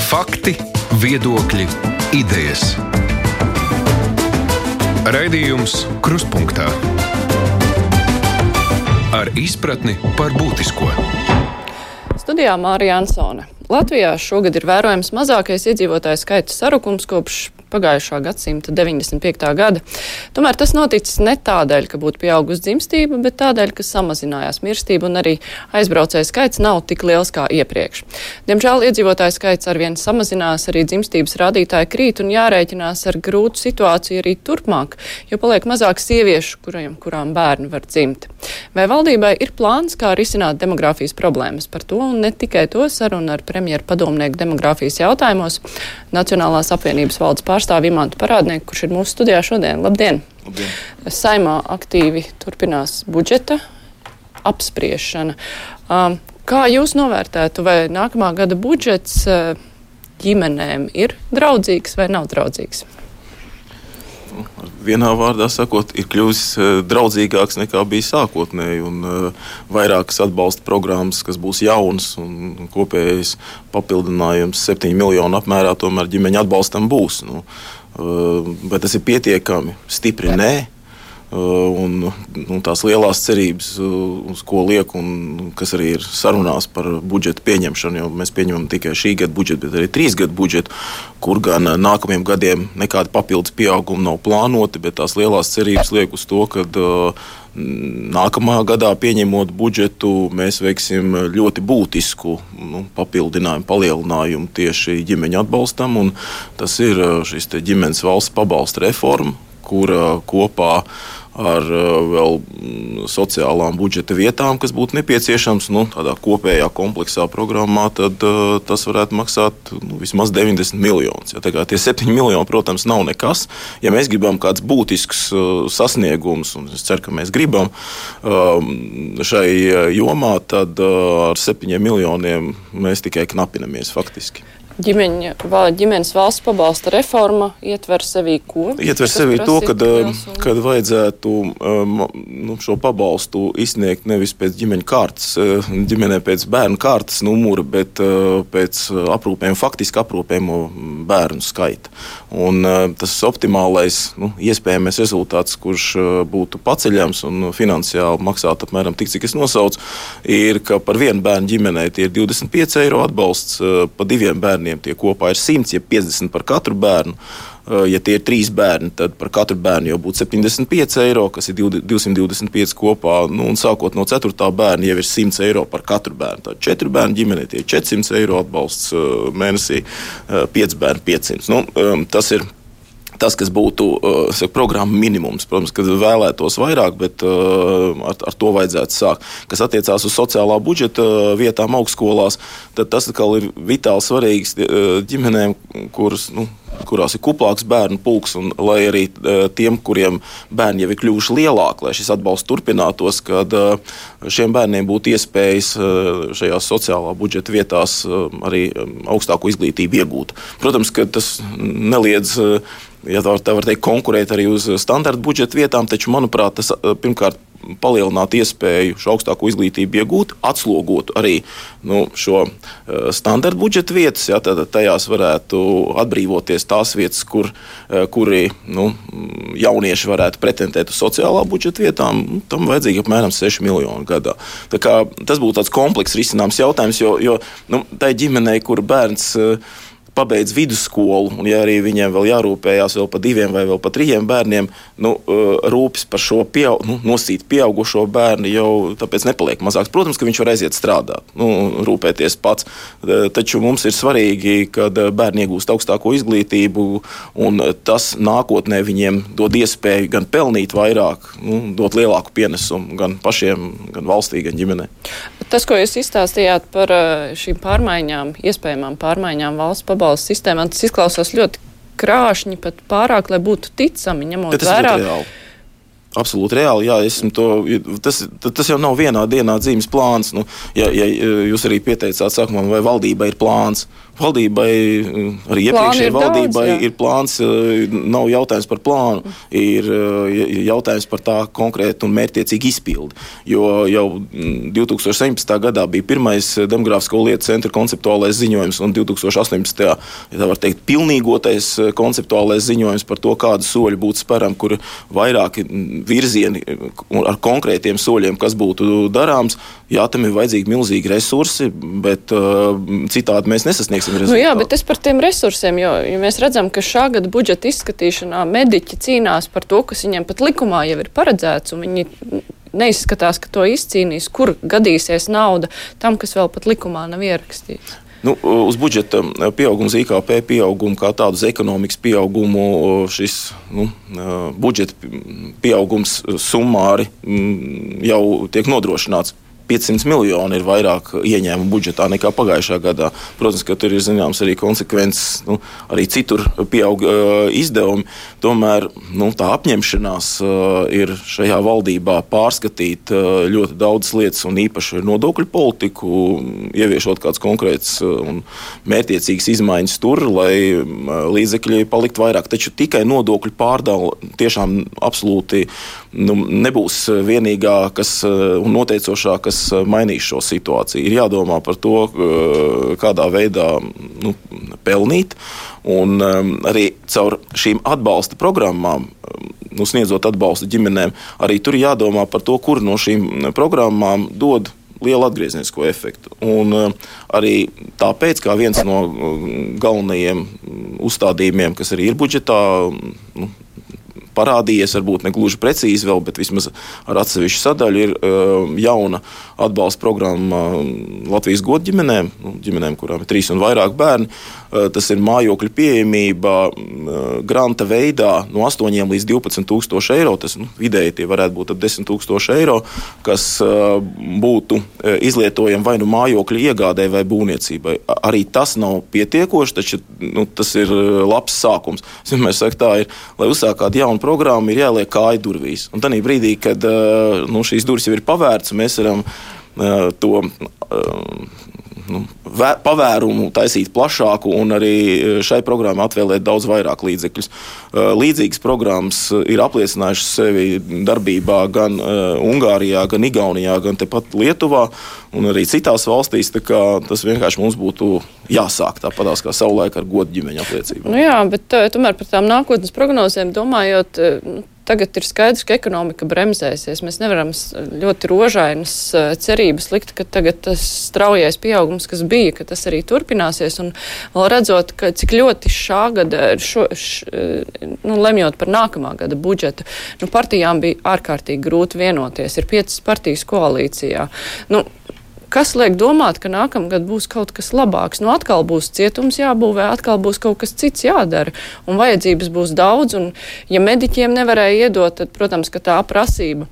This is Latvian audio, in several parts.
Fakti, viedokļi, idejas. Raidījums Kruspunktā ar izpratni par būtisko. Studijā Mārija Ansone. Latvijā šogad ir vērojams mazākais iedzīvotāju skaita sarukums kopš pagājušā gadsimta 95. gada. Tomēr tas noticis ne tādēļ, ka būtu pieaugusi dzimstība, bet tādēļ, ka samazinājās mirstība un arī aizbraucēju skaits nav tik liels kā iepriekš. Diemžēl iedzīvotāju skaits arvien samazinās, arī dzimstības rādītāji krīt un jārēķinās ar grūtu situāciju arī turpmāk, jo paliek mazāk sieviešu, kurām bērni var dzimt. Vai valdībai ir plāns, kā risināt demogrāfijas problēmas? Par to un ne tikai to sarunu ar premjeru padomnieku demogrāfijas jautājumos Nacionālās apvienības valdes pārstāvi Imantu Parādnieku, kurš ir mūsu studijā šodien. Labdien! Labdien! Saimā aktīvi turpinās budžeta apspriešana. Kā jūs novērtētu, vai nākamā gada budžets ģimenēm ir draudzīgs vai nav draudzīgs? Vienā vārdā sakot, ir kļuvis draudzīgāks nekā bija sākotnēji, un vairākas atbalsta programmas, kas būs jaunas un kopējais papildinājums 7 miljonu apmērā, tomēr ģimeņa atbalstam būs. Bet tas ir pietiekami stipri nē. Un tās lielās cerības, uz ko liek un kas arī ir sarunās par budžeta pieņemšanu, jo mēs pieņemam tikai šī gada budžetu, bet arī 3 gadu budžetu, kur gan nākamajiem gadiem nekāda papildus pieauguma nav plānoti, bet tās lielās cerības liek uz to, ka nākamā gadā pieņemot budžetu, mēs veiksim ļoti būtisku papildinājumu, palielinājumu tieši ģimeņa atbalstam, un tas ir šis ģimenes valsts pabalsta reforma, kura kopā ar vēl sociālām budžeta vietām, kas būtu nepieciešams, tādā kopējā kompleksā programmā, tad tas varētu maksāt vismaz 90 miljonus. Ja, tie 7 miljoni, protams, nav nekas. Ja mēs gribam kāds būtisks sasniegums, un es ceru, ka mēs gribam šai jomā, tad ar 7 miljoniem mēs tikai knapinamies faktiski. Ģimenes valsts pabalsta reforma ietver sevī ko? Ietver sevī to, kad vajadzētu šo pabalstu izsniegt nevis pēc ģimeņa kārtas, ģimenē pēc bērnu kārtas numura, bet pēc faktiski aprūpējumu bērnu skaita. Un tas optimālais, iespējamais rezultāts, kurš būtu paceļams un finansiāli maksāt apmēram tik, cik es nosaucu, ir, ka par vienu bērnu ģimenei tie ir 25 eiro atbalsts, pa 2 bērniem tie kopā ir 100, ja 50 par katru bērnu. Ja tie ir 3 bērni, tad par katru bērnu jau būtu 75 eiro, kas ir 225 kopā, un sākot no 4. bērna jau ir 100 eiro par katru bērnu. Tad 4 bērnu ģimenei tie ir 400 eiro atbalsts mēnesī, 5 bērnu 500. Tas ir tas, kas būtu programma minimums. Protams, kad vēlētos vairāk, bet ar to vajadzētu sākt. Kas attiecās uz sociālā budžeta vietām augstskolās, tad tas atkal ir vitāli svarīgs ģimenēm, kurās ir kuplāks bērnu pulks, un lai arī tiem, kuriem bērni jau ir kļuvuši lielāki, lai šis atbalsts turpinātos, kad šiem bērniem būtu iespējas šajās sociālā budžeta vietās arī augstāko izglītību iegūt. Protams, ka tas neliedz, ja tā var teikt, konkurēt arī uz standarta budžeta vietām, taču, manuprāt, tas pirmkārt palielināt iespēju šo augstāko izglītību iegūt, atslogot arī šo standarta budžeta vietas, ja, tad tajās varētu atbrīvoties tās vietas, kuri jaunieši varētu pretendēt uz sociālā budžeta vietām, tam vajadzīgi apmēram 6 miljoni gadā. Tā kā tas būtu tāds komplekss risināms jautājums, jo tai ģimenei, kur bērns pabeidz vidusskolu, un ja arī viņiem vēl jārūpējās vēl par 2 vai vēl par 3 bērniem, rūpes par šo nosīt pieaugušo bērnu jau tāpēc nepaliek mazāks. Protams, ka viņš var aiziet strādāt, rūpēties pats, taču mums ir svarīgi, kad bērni iegūst augstāko izglītību, un tas nākotnē viņiem dod iespēju gan pelnīt vairāk, dot lielāku pienesumu gan pašiem, gan valstī, gan ģimenei. Tas, ko jūs izstāstījāt par šīm pārmaiņām, iespējamām pārmaiņām valsts pabalstu sistēmā, tas izklausās ļoti krāšņi, pat pārāk, lai būtu ticami, ņemot vērā. Absolūti reāli, jā, tas jau nav vienā dienā dzīves plāns. Ja jūs arī pieteicāt sākumā, vai valdība ir plāns. Valdībai, arī iepriekšējai valdībai ir plāns, nav jautājums par plānu, ir jautājums par tā konkrētu un mērķtiecīgu izpildi. Jo jau 2017. gadā bija pirmais demogrāfisko lietu centra konceptuālais ziņojums un 2018. Ja tā var teikt, pilnīgotais konceptuālais ziņojums par to, kādu soļu būtu speram, kur vairāki virzieni ar konkrētiem soļiem, kas būtu darāms. Jā, tam ir vajadzīgi milzīgi resursi, bet citādi mēs nesasniegsim rezultātu. Jā, bet es par tiem resursiem, jo mēs redzam, ka šā gada budžeta izskatīšanā mediķi cīnās par to, kas viņiem pat likumā jau ir paredzēts, un viņi neizskatās, ka to izcīnīs, kur gadīsies nauda tam, kas vēl pat likumā nav ierakstīts. Uz budžeta pieaugums, IKP pieaugumu kā tādu, uz ekonomikas pieaugumu šis budžeta pieaugums summāri jau tiek nodrošināts. 500 miljoni ir vairāk ieņēmumu budžetā nekā pagājušā gadā. Protams, ka tur ir zināms arī konsekvences, arī citur pieaug izdevumi. Tomēr tā apņemšanās ir šajā valdībā pārskatīt ļoti daudzas lietas un īpaši nodokļu politiku, ieviešot kāds konkrēts un mērķtiecīgs izmaiņas tur, lai līdzekļi palikt vairāk. Taču tikai nodokļu pārdala tiešām absolūti nebūs vienīgā un noteicošā, kas mainīs šo situāciju. Ir jādomā par to, kādā veidā pelnīt, un arī caur šīm atbalsta programmām, sniedzot atbalstu ģimenēm, arī tur jādomā par to, kur no šīm programmām dod lielu atgrieznisko efektu. Un arī tāpēc, kā viens no galvenajiem uzstādījumiem, kas arī ir budžetā, parādījies, varbūt ne gluži precīzi vēl, bet vismaz ar atsevišķu sadaļu ir jauna atbalsta programma Latvijas godu ģimenēm, ģimenēm, kurām ir 3 un vairāk bērni. Tas ir mājokļu pieejamība granta veidā no 8 līdz 12 tūkstoši eiro. Tas vidēji tie varētu būt ap 10 tūkstoši eiro, kas būtu izlietojami vai mājokļu iegādē vai būvniecībai. Arī tas nav pietiekoši, taču tas ir labs sākums. Es vienmēr saku, tā ir, lai uzsāk kādu jaunu programmu, ir jāliek kāja durvīs. Un tanī brīdī, kad šīs durvis jau ir pavērts, mēs varam to pavērumu taisīt plašāku un arī šai programmai atvēlēt daudz vairāk līdzekļus. Līdzīgas programmas ir apliecinājušas sevi darbībā gan Ungārijā, gan Igaunijā, gan tepat Lietuvā un arī citās valstīs, tā kā tas vienkārši mums būtu jāsāk tāpatās kā savulaik ar godu ģimeņu apliecību. Jā, bet tomēr par tām nākotnes prognozēm domājot, tagad ir skaidrs, ka ekonomika bremzēsies. Mēs nevaram ļoti rožainas cerības likt, ka tagad tas straujais pieaugums, kas bija, ka tas arī turpināsies. Un vēl redzot, ka cik ļoti šā gada, lemjot par nākamā gada budžetu, partijām bija ārkārtīgi grūti vienoties. Ir 5 partijas koalīcijā. Kas liek domāt, ka nākamgad būs kaut kas labāks? Atkal būs cietums jābūvē, atkal būs kaut kas cits jādara, un vajadzības būs daudz, un ja mediķiem nevarēja iedot, tad, protams, ka tā prasība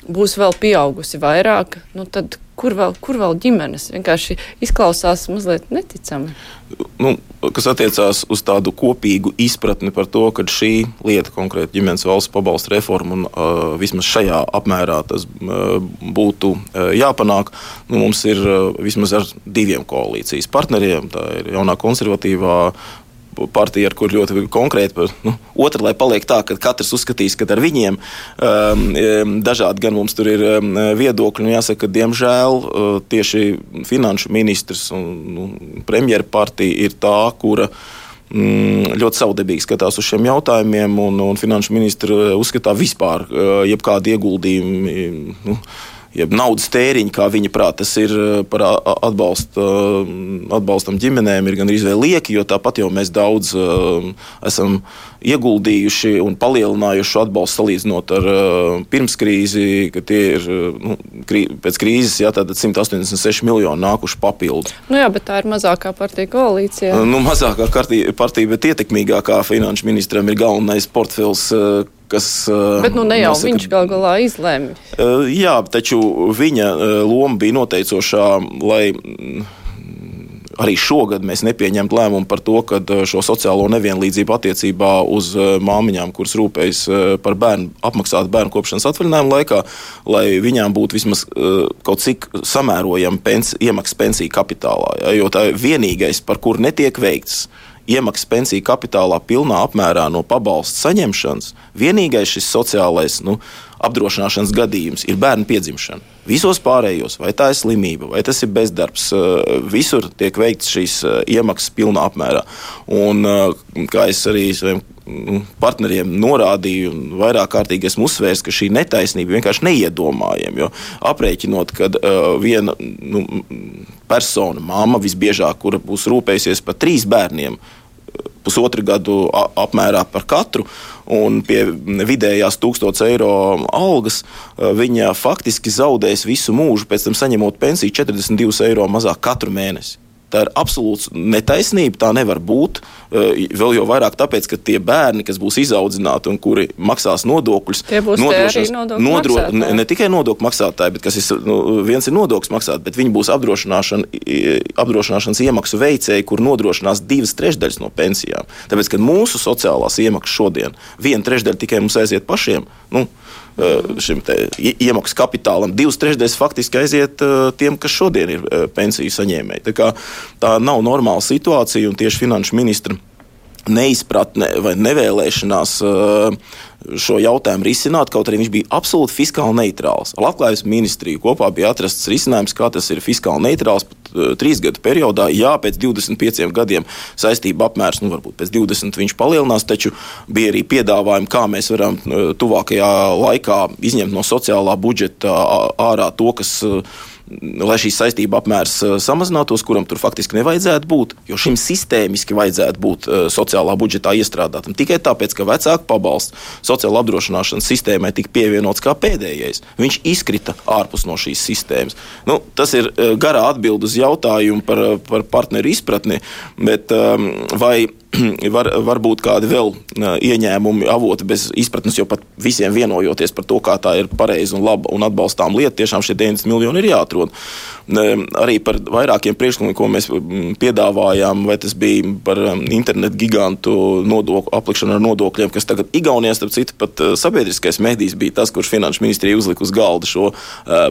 būs vēl pieaugusi vairāk, tad kur vēl ģimenes? Vienkārši izklausās mazliet neticami. Kas attiecās uz tādu kopīgu izpratni par to, ka šī lieta, konkrēti ģimenes valsts pabalsta reforma, un vismaz šajā apmērā tas būtu jāpanāk, mums ir vismaz ar 2 koalīcijas partneriem. Tā ir jaunā konservatīvā partija, ar kur ļoti konkrēti, otra, lai paliek tā, ka katrs uzskatīs, ka ar viņiem dažādi gan mums tur ir viedokļi, un jāsaka, ka diemžēl tieši finanšu ministrs un premjera partija ir tā, kura ļoti savdabīgi skatās uz šiem jautājumiem, un finanšu ministra uzskatā vispār jebkādi ieguldījumi, jeb naudas tēriņi, kā viņa prāt, tas ir par atbalstam ģimenēm, ir gan arī vēl lieki, jo tāpat jau mēs daudz esam ieguldījuši un palielinājuši atbalstu salīdzinot ar pirmskrīzi, ka tie ir pēc krīzes, tātad 186 miljoni nākuši papildu. Bet tā ir mazākā partija koalīcijā. Mazākā partija, bet ietekmīgākā finanšu ministram ir galvenais portfels, kas... Bet ne jau viņš galā izlēma. Jā, taču viņa loma bija noteicošā, lai arī šogad mēs nepieņemt lēmumu par to, ka šo sociālo nevienlīdzību attiecībā uz māmiņām, kuras rūpējas par bērnu, apmaksāt bērnu kopšanas atvaļinājumu laikā, lai viņām būtu vismaz kaut cik samērojama iemaksas pensiju kapitālā. Ja? Jo tā ir vienīgais, par kur netiek veikts iemaksas pensiju kapitālā pilnā apmērā no pabalsta saņemšanas, vienīgais šis sociālais apdrošināšanas gadījums ir bērnu piedzimšana. Visos pārējos, vai tā ir slimība, vai tas ir bezdarbs, visur tiek veikts šīs iemaksas pilnā apmērā. Un, kā es arī saviem partneriem norādīju, un vairāk kārtīgi esmu uzsvērs, ka šī netaisnība vienkārši neiedomājama, jo aprēķinot, kad viena persona, mamma visbiežāk, kura būs rūpējusies par 3 bērniem, 1,5 gadu apmērā par katru, un pie vidējās 1000 eiro algas, viņa faktiski zaudēs visu mūžu, pēc tam saņemot pensiju 42 eiro mazāk katru mēnesi. Tā ir absolūts netaisnība, tā nevar būt. Vēl jau vairāk tāpēc, ka tie bērni, kas būs izaudzināti un kuri maksās nodokļus, tie būs ne tikai nodokļu maksātāji, bet kas viens ir nodokļus maksāt, bet viņi būs apdrošināšanas iemaksu veicēji, kur nodrošinās 2/3 no pensijām. Tāpēc, ka mūsu sociālās iemaksas šodien 1/3 tikai mums aiziet pašiem, šim iemaksu kapitālam, 2/3 faktiski aiziet tiem, kas šodien ir pensiju saņēmēji. Tā nav normāla situācija, un tieši finanšu ministra neizpratne vai nevēlēšanās šo jautājumu risināt, kaut arī viņš bija absolūti fiskāli neitrāls. Ar Labklājības ministriju kopā bija atrasts risinājums, kā tas ir fiskāli neitrāls pat 3 gadu periodā. Jā, pēc 25 gadiem saistība apmērs, varbūt pēc 20 viņš palielinās, taču bija arī piedāvājumi, kā mēs varam tuvākajā laikā izņemt no sociālā budžeta ārā to, kas lai šīs saistība apmērs samazinātos, kuram tur faktiski nevajadzētu būt, jo šim sistēmiski vajadzētu būt sociālā budžetā iestrādātam. Tikai tāpēc, ka vecāku pabalsts sociāla apdrošināšanas sistēmai tika pievienots kā pēdējais. Viņš izkrita ārpus no šīs sistēmas. Tas ir garā atbild uz jautājumu par partneru izpratni, bet vai var būt kādi vēl ieņēmumi avoti bez izpratnes, jo pat visiem vienojoties par to, kā tā ir pareiza un laba un atbalstām lieta, tiešām šie 90 miljoni ir jāatrod. Arī par vairākiem priekšlikumiem, ko mēs piedāvājām, vai tas bija par internetu gigantu aplikšanu ar nodokļiem, kas tagad Igaunijā, starp citu, pat sabiedriskais medijs bija tas, kurš finanšu ministrija uzlika uz galda šo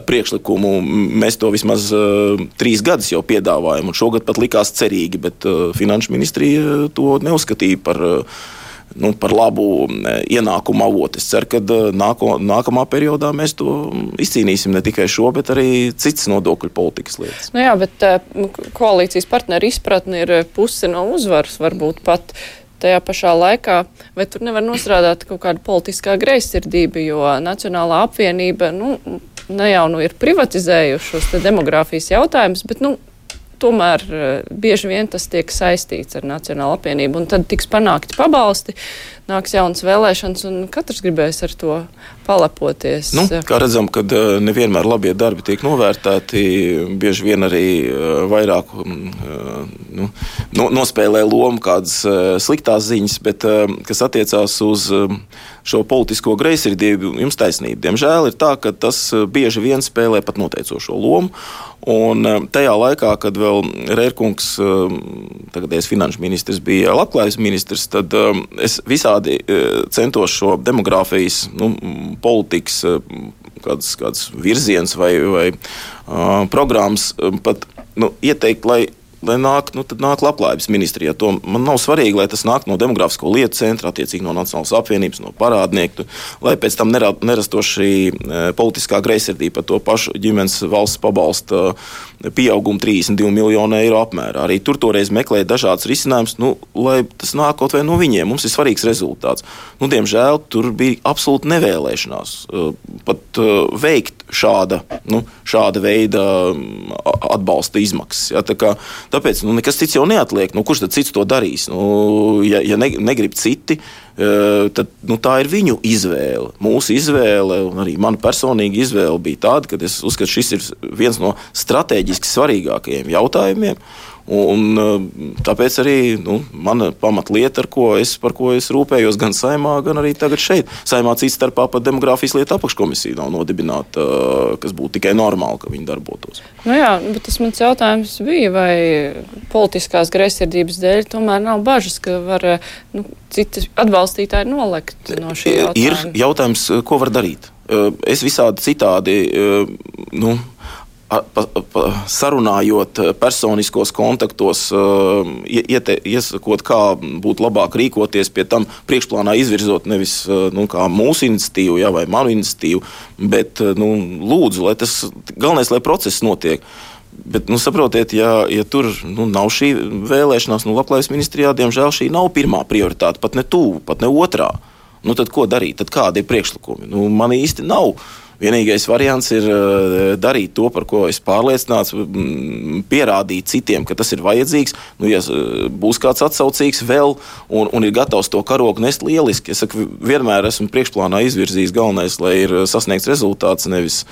priekšlikumu. Mēs to vismaz 3 gadus jau piedāvājam, un šogad pat likās cerīgi, bet finanšu ministrija to neuzskatīja par labu ienākumu avotu. Es ceru, ka nākamā periodā mēs to izcīnīsim ne tikai šo, bet arī citas nodokļu politikas lietas. Jā, bet koalīcijas partneru izpratne ir puse no uzvaras, varbūt pat tajā pašā laikā, vai tur nevar nostrādāt kaut kāda politiskā greizsirdība, jo Nacionālā apvienība, ne jau ir privatizējuši šos demogrāfijas jautājumus, bet, tomēr bieži vien tas tiek saistīts ar Nacionālo apvienību, un tad tiks panākti pabalsti, nāks jaunas vēlēšanas, un katrs gribēs ar to palepoties. Kā redzam, kad nevienmēr labie darbi tiek novērtēti, bieži vien arī vairāk nospēlē lomu kādas sliktās ziņas, bet kas attiecās uz šo politisko greizsirdību, jums taisnība. Diemžēl ir tā, ka tas bieži vien spēlē pat noteicošo lomu, un tajā laikā, kad vēl Rērkungs, tagadējais finanšu ministrs, bija Labklājības ministrs, tad es visādi centos šo demogrāfijas politikas kāds virziens vai programmas pat ieteikt, lai nāk Labklājības ministrijā. To man nav svarīgi, lai tas nāk no Demogrāfisko lietu centra, attiecīgi no Nacionālās apvienības, no parādnieku, lai pēc tam nerastos šī politiskā greizsirdība par to pašu ģimenes valsts pabalsta pieaugumu 32 miljonu eiro apmērā. Arī tur toreiz meklēja dažādas risinājumus, lai tas nāk kaut vai no viņiem. Mums ir svarīgs rezultāts. Diemžēl tur bija absolūti nevēlēšanās pat veikt šāda veida atbalsta izmaksas. Ja, tāpēc nekas cits jau neatliek. Kurš tad cits to darīs? Ja negrib citi, tad tā ir viņu izvēle. Mūsu izvēle, un arī mana personīga izvēle bija tāda, ka es uzskatu, šis ir viens no strateģiski svarīgākajiem jautājumiem. Un tāpēc arī mana pamatlieta, par ko es rūpējos gan Saeimā, gan arī tagad šeit. Saeimā cits starpā pat demogrāfijas lietu apakškomisija nav nodibināta, kas būtu tikai normāli, ka viņi darbotos. Nu jā, bet tas mans jautājums bija, vai politiskās greizsirdības dēļ tomēr nav bažas, ka var citi atbalstītāji nolekt no šī jautājuma? Ir jautājums, ko var darīt. Es visādi citādi, sarunājot personiskos kontaktos, iesakot, kā būtu labāk rīkoties, pie tam priekšplānā izvirzot nevis kā mūsu iniciatīvu vai manu iniciatīvu, bet lūdzu, lai tas galvenais, lai process notiek. Bet, saprotiet, ja tur nav šī vēlēšanās, Labklājības ministrijā, diemžēl šī nav pirmā prioritāte, pat ne tuvu, pat ne otrā. Tad ko darīt? Tad kādi ir priekšlikumi? Man īsti nav. Vienīgais variants ir darīt to, par ko es pārliecināts, pierādīt citiem, ka tas ir vajadzīgs. Ja būs kāds atsaucīgs vēl un ir gatavs to karogu nest, lieliski. Es saku, vienmēr esmu priekšplānā izvirzījis galvenais, lai ir sasniegts rezultāts, nevis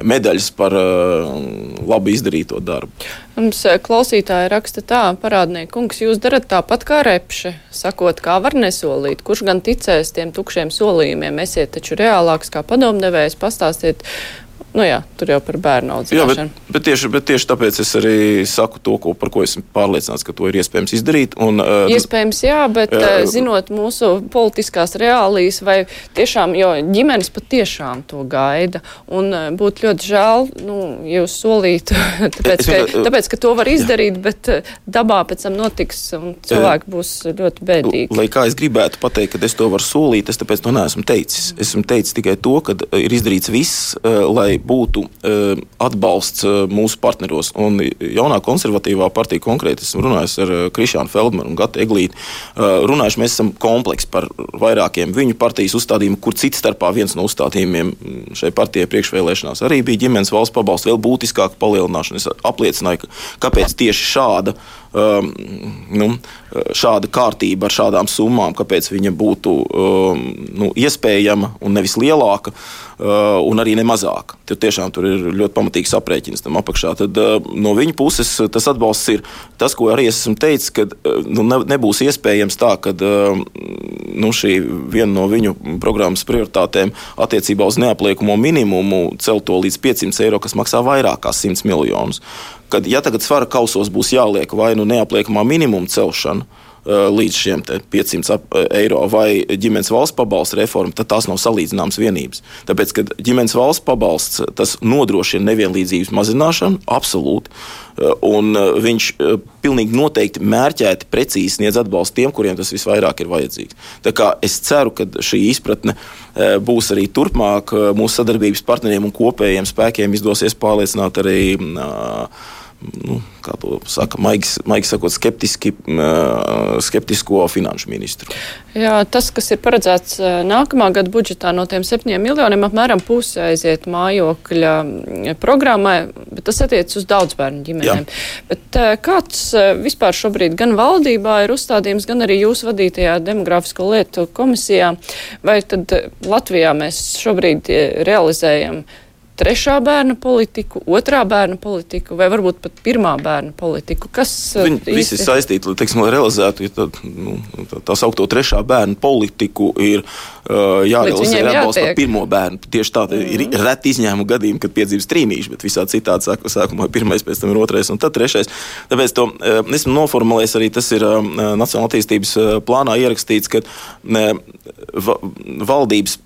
medaļas par labi izdarīto darbu. Mums klausītāji raksta tā, parādnieki kungs, jūs darat tāpat kā Repše, sakot, kā var nesolīt, kurš gan ticēs tiem tukšiem solījumiem, esiet taču reālāks kā padomdevējs, pastāstiet. Tur jau par bērnu audzināšanu. Jā, bet tieši tāpēc es arī saku to, par ko esmu pārliecināts, ka to ir iespējams izdarīt. Iespējams, jā, bet zinot mūsu politiskās reālijas, vai tiešām, jo ģimenes patiešām to gaida, un būtu ļoti žēl, ja jūs solītu, tāpēc, ka to var izdarīt, bet dabā pēc tam notiks, un cilvēki būs ļoti bēdīgi. Lai kā es gribētu pateikt, ka es to varu solīt, es tāpēc to neesmu teicis. Esmu teicis tikai to, ka ir izdarīts viss, lai būtu atbalsts mūsu partneros. Un jaunā konservatīvā partija konkrēti, esmu runājis ar Krišānu Feldmanu un Gatu Eglīti, runājuši, mēs esam kompleks par vairākiem viņu partijas uzstādījumu, kur cits starpā viens no uzstādījumiem šai partijai priekšvēlēšanās arī bija ģimenes valsts pabalsts, vēl būtiskāka palielināšana. Es apliecināju, kāpēc tieši šāda kārtība ar šādām summām, kāpēc viņa būtu iespējama un nevis lielāka un arī ne mazāka. Tur ir ļoti pamatīgs aprēķins tam apakšā. Tad no viņa puses tas atbalsts ir tas, ko arī es esmu teicis, ka nebūs iespējams tā, ka šī viena no viņu programmas prioritātēm attiecībā uz neapliekamo minimumu celt to līdz 500 eiro, kas maksā vairāk kā 100 miljonus. Kad, ja tagad svara kausos būs jāliek vai neapliekamā minimuma celšana līdz šiem 500 eiro vai ģimenes valsts pabalsta reforma, tad tās nav salīdzināmas vienības. Tāpēc, kad ģimenes valsts pabalsts, tas nodrošina nevienlīdzības mazināšanu, absolūti, un viņš pilnīgi noteikti mērķēti precīzi sniedz atbalstu tiem, kuriem tas visvairāk ir vajadzīgs. Tā kā es ceru, ka šī izpratne būs arī turpmāk mūsu sadarbības partneriem un kopējiem spēkiem izdosies pārliecināt arī kā to saka, maigi sakot, skeptisko finanšu ministru. Jā, tas, kas ir paredzēts nākamā gada budžetā no tiem 7 miljoniem, apmēram puse aiziet mājokļa programmai, bet tas attiec uz daudzbērnu ģimenēm. Jā. Bet kāds vispār šobrīd gan valdībā ir uzstādījums, gan arī jūs vadītajā demografisko lietu komisijā, vai tad Latvijā mēs šobrīd realizējam 3. bērnu politiku, 2. bērnu politiku vai varbūt pat 1. bērnu politiku? Kas viņi visi saistīti, lai realizētu, tā saukto 3. bērnu politiku ir jārealizē atbalsts par 1. bērnu. Tieši tā ir reti izņēmu gadījumi, kad piedzimst trīnīši, bet visā citādi sākumā 1, pēc tam ir 2. un tad 3. Tāpēc to esmu noformulējis arī, tas ir Nacionālā attīstības plānā ierakstīts, ka valdības,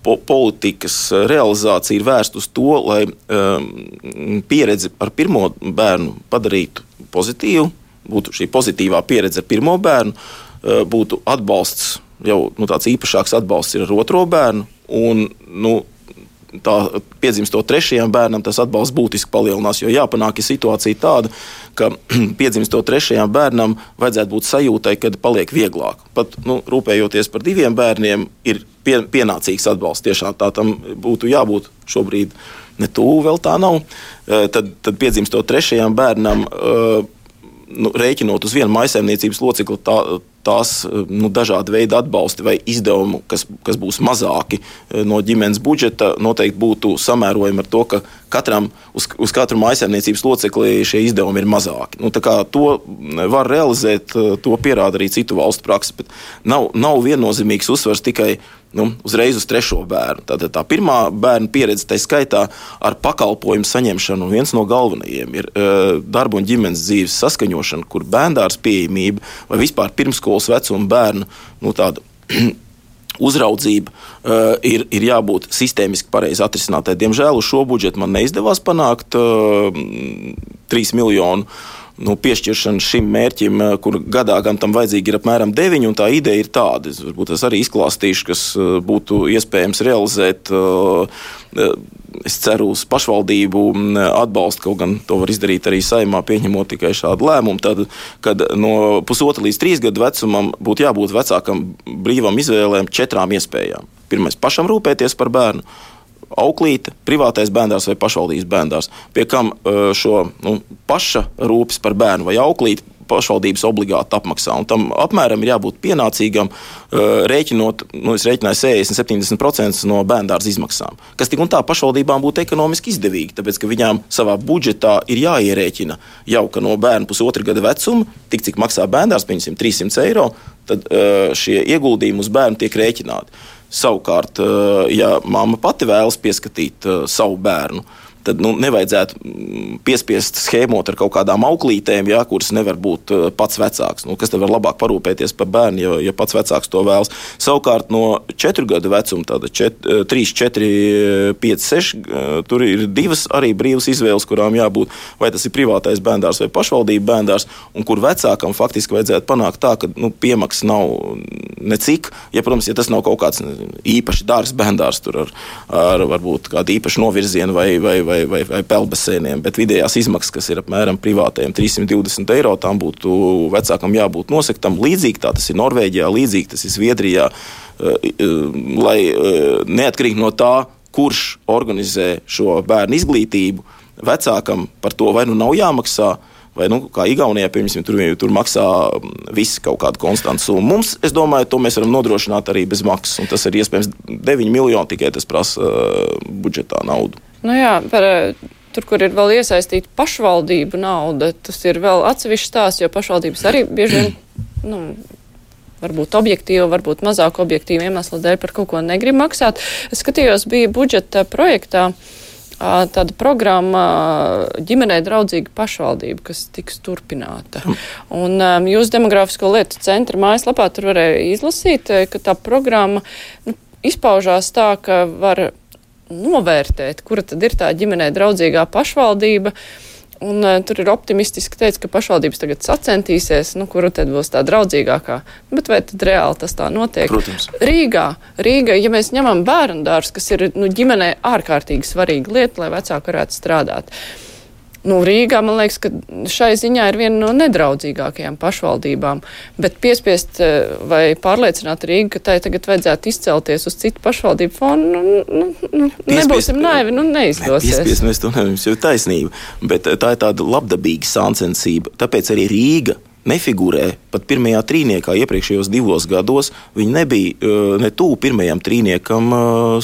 politikas realizācija ir vērsta uz to, lai pieredzi ar 1. bērnu padarītu pozitīvu, būtu šī pozitīvā pieredze ar 1. bērnu, būtu atbalsts, jau tāds īpašāks atbalsts ir ar 2. bērnu, un tā piedzimstot 3. bērnam tas atbalsts būtiski palielinās, jo jāpanāk ir situācija tāda, ka piedzimstot 3. bērnam vajadzētu būt sajūtai, kad paliek vieglāk. Pat rūpējoties par 2 bērniem ir pienācīgs atbalsts. Tiešām tā tam būtu jābūt šobrīd ne tuvu, vēl tā nav. Tad piedzimstot 3. bērnam, rēķinot uz vienu maisaimniecības locekli, tās dažādi veidi atbalsti vai izdevumi, kas būs mazāki no ģimenes budžeta, noteikti būtu samērojami ar to, ka uz katru mājsaimniecības locekli šie izdevumi ir mazāki. Tā kā to var realizēt, to pierāda arī citu valstu praksa, bet nav viennozīmīgs uzsvars tikai uzreiz uz 3. bērnu. Tātad tā pirmā bērna pieredze, tai skaitā ar pakalpojumu saņemšanu, un viens no galvenajiem ir darba un ģimenes dzīves saskaņošana, kur bērndārs pieejamība vai vispār pirmskolas vecuma bērnu tāda uzraudzība ir jābūt sistēmiski pareizi atrisinātai. Diemžēl uz šo budžetu man neizdevās panākt 3 miljonu piešķiršana šim mērķim, kur gadā gan tam vajadzīgi ir apmēram 9, un tā ideja ir tāda. Varbūt es arī izklāstīšu, kas būtu iespējams realizēt. Es ceru uz pašvaldību atbalstu, kaut gan to var izdarīt arī Saeimā, pieņemot tikai šādu lēmumu. Tad, kad no 1,5 līdz 3 gadu vecumam būtu jābūt vecākam brīvam izvēlēm 4 iespējām. Pirmais - pašam rūpēties par bērnu. Auklīte, privātais bērndārs vai pašvaldības bērndārs, pie kam šo paša rūpes par bērnu vai auklīti pašvaldības obligāti apmaksā. Un tam apmēram ir jābūt pienācīgam, rēķinot, es rēķināju 70% no bērndārza izmaksām, kas tik un tā pašvaldībām būtu ekonomiski izdevīgi, tāpēc, ka viņām savā budžetā ir jāierēķina jau, ka no bērna 1,5 gada vecuma, tik cik maksā bērndārs, pieņemsim 300 eiro, tad šie ieguldījumi uz bērnu tiek rēķināti. Savukārt, ja mamma pati vēlas pieskatīt savu bērnu, tad nevajadzētu piespiest schēmot ar kaut kādām auklītēm, kuras nevar būt pats vecāks. Kas te var labāk parūpēties par bērnu, ja pats vecāks to vēlas. Savukārt no 4 gadu vecuma, tāda 3, 4, 5, 6, tur ir 2 arī brīvas izvēles, kurām jābūt, vai tas ir privātais bērndārs vai pašvaldība bērndārs, un kur vecākam faktiski vajadzētu panākt tā, ka piemaksas nav necik, protams, ja tas nav kaut kāds īpaši dārgs bērndārs, tur ar varbūt kādu īpašu novirzienu vai peldbasēniem, bet vidējās izmaksas, kas ir apmēram privātajiem 320 eiro, tam būtu vecākam jābūt nosektam. Līdzīgi tā tas ir Norvēģijā, līdzīgi tas ir Zviedrijā, lai neatkarīgi no tā, kurš organizē šo bērnu izglītību, vecākam par to vai nav jāmaksā, vai, kā Igaunijā, piemēram, tur maksā visi kaut kādu konstantu summu. Mums, es domāju, to mēs varam nodrošināt arī bez maksas, un tas ir iespējams 9 miljoni, tikai tas prasa budžetā naudu. Tur, kur ir vēl iesaistīta pašvaldību nauda, tas ir vēl atsevišķs stāsts, jo pašvaldības arī bieži vien, varbūt objektīvi, varbūt mazāk objektīvi iemesli dēļ par kaut ko negrib maksāt. Es skatījos, bija budžeta projektā tāda programma ģimenei draudzīga pašvaldība, kas tiks turpināta. Un jūs Demogrāfisko lietu centra mājaslapā tur varēja izlasīt, ka tā programma izpaužās tā, ka var novērtēt, kura tad ir tā ģimenei draudzīgā pašvaldība. Un tur ir optimistiski teikt, ka pašvaldības tagad sacentīsies, kura tad būs tā draudzīgākā. Bet vai tad reāli tas tā notiek? Protams. Rīga, ja mēs ņemam bērndārs, kas ir ģimenei ārkārtīgi svarīga lieta, lai vecāki varētu strādāt. Rīgā, man liekas, ka šai ziņā ir viena no nedraudzīgākajām pašvaldībām, bet piespiest vai pārliecināt Rīgu, ka tai tagad vajadzētu izcelties uz citu pašvaldību fonu, nebūsim naivi, neizdosies. Piespiest, mēs to nevaram, jau taisnība, bet tā ir tāda labdabīga sāncensība, tāpēc arī Rīga nefigurē pat pirmajā trīniekā iepriekšējos 2 gados. Viņi nebija ne tuvu pirmajam trīniekam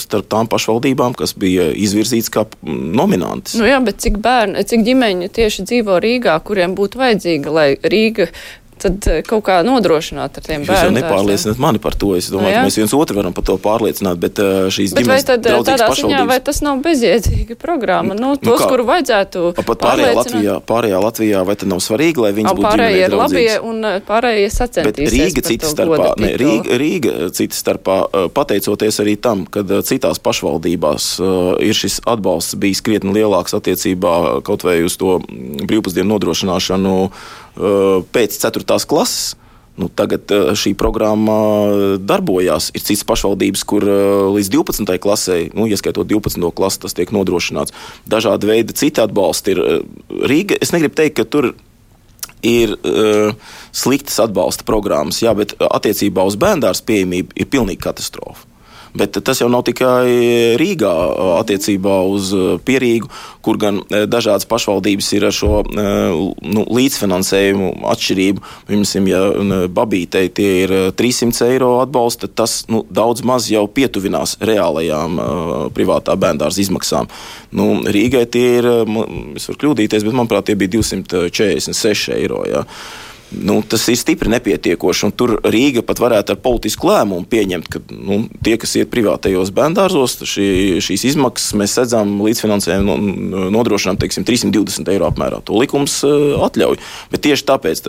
starp tām pašvaldībām, kas bija izvirzīts kā nominantis. Bet cik ģimeņu tieši dzīvo Rīgā, kuriem būtu vajadzīga, lai Rīga tad kaut kā nodrošināt ar tiem bērnu. Jūs jau nepārliecināt mani par to. Es domāju, ka mēs viens otru varam par to pārliecināt, bet šīs ģimenes draudzīgas pašvaldības. Vai tas nav bezjēdzīga programma? Tos, kuru vajadzētu pārliecināt. Pārējā Latvijā, vai tad nav svarīgi, lai viņas būtu ģimenei draudzīgas? Pārējie ir labie un pārējie sacentīsies. Bet Rīga citas starpā, pateicoties arī tam, kad citās pašvaldībās ir šis atbalsts bijis krietni lielāks attiecībā kaut vai uz to brīvpusdienu nodrošināšanu pēc 4. klases. Tagad šī programma darbojās. Ir citas pašvaldības, kur līdz 12. klasē, ieskaitot 12. klasi, tas tiek nodrošināts. Dažādi veidi citi atbalsti ir. Rīga, es negribu teikt, ka tur ir sliktas atbalsta programmas, bet attiecībā uz bērndārs pieejamību ir pilnīgi katastrofa. Bet tas jau nav tikai Rīgā attiecībā uz Pierīgu, kur gan dažādas pašvaldības ir ar šo līdzfinansējumu atšķirību. Piemēram, ja Babītei tie ir 300 eiro atbalsta, tas daudz maz jau pietuvinās reālajām privātā bērndārza izmaksām. Rīgai tie ir, es varu kļūdīties, bet manuprāt tie bija 246 eiro. Ja. Tas ir stipri nepietiekoši, un tur Rīga pat varētu ar politisku lēmumu pieņemt, ka tie, kas iet privātajos bērndārzos, šīs izmaksas mēs redzam līdzfinansējumu nodrošinām, 320 eiro apmērā. To likums atļauj. Bet tieši tāpēc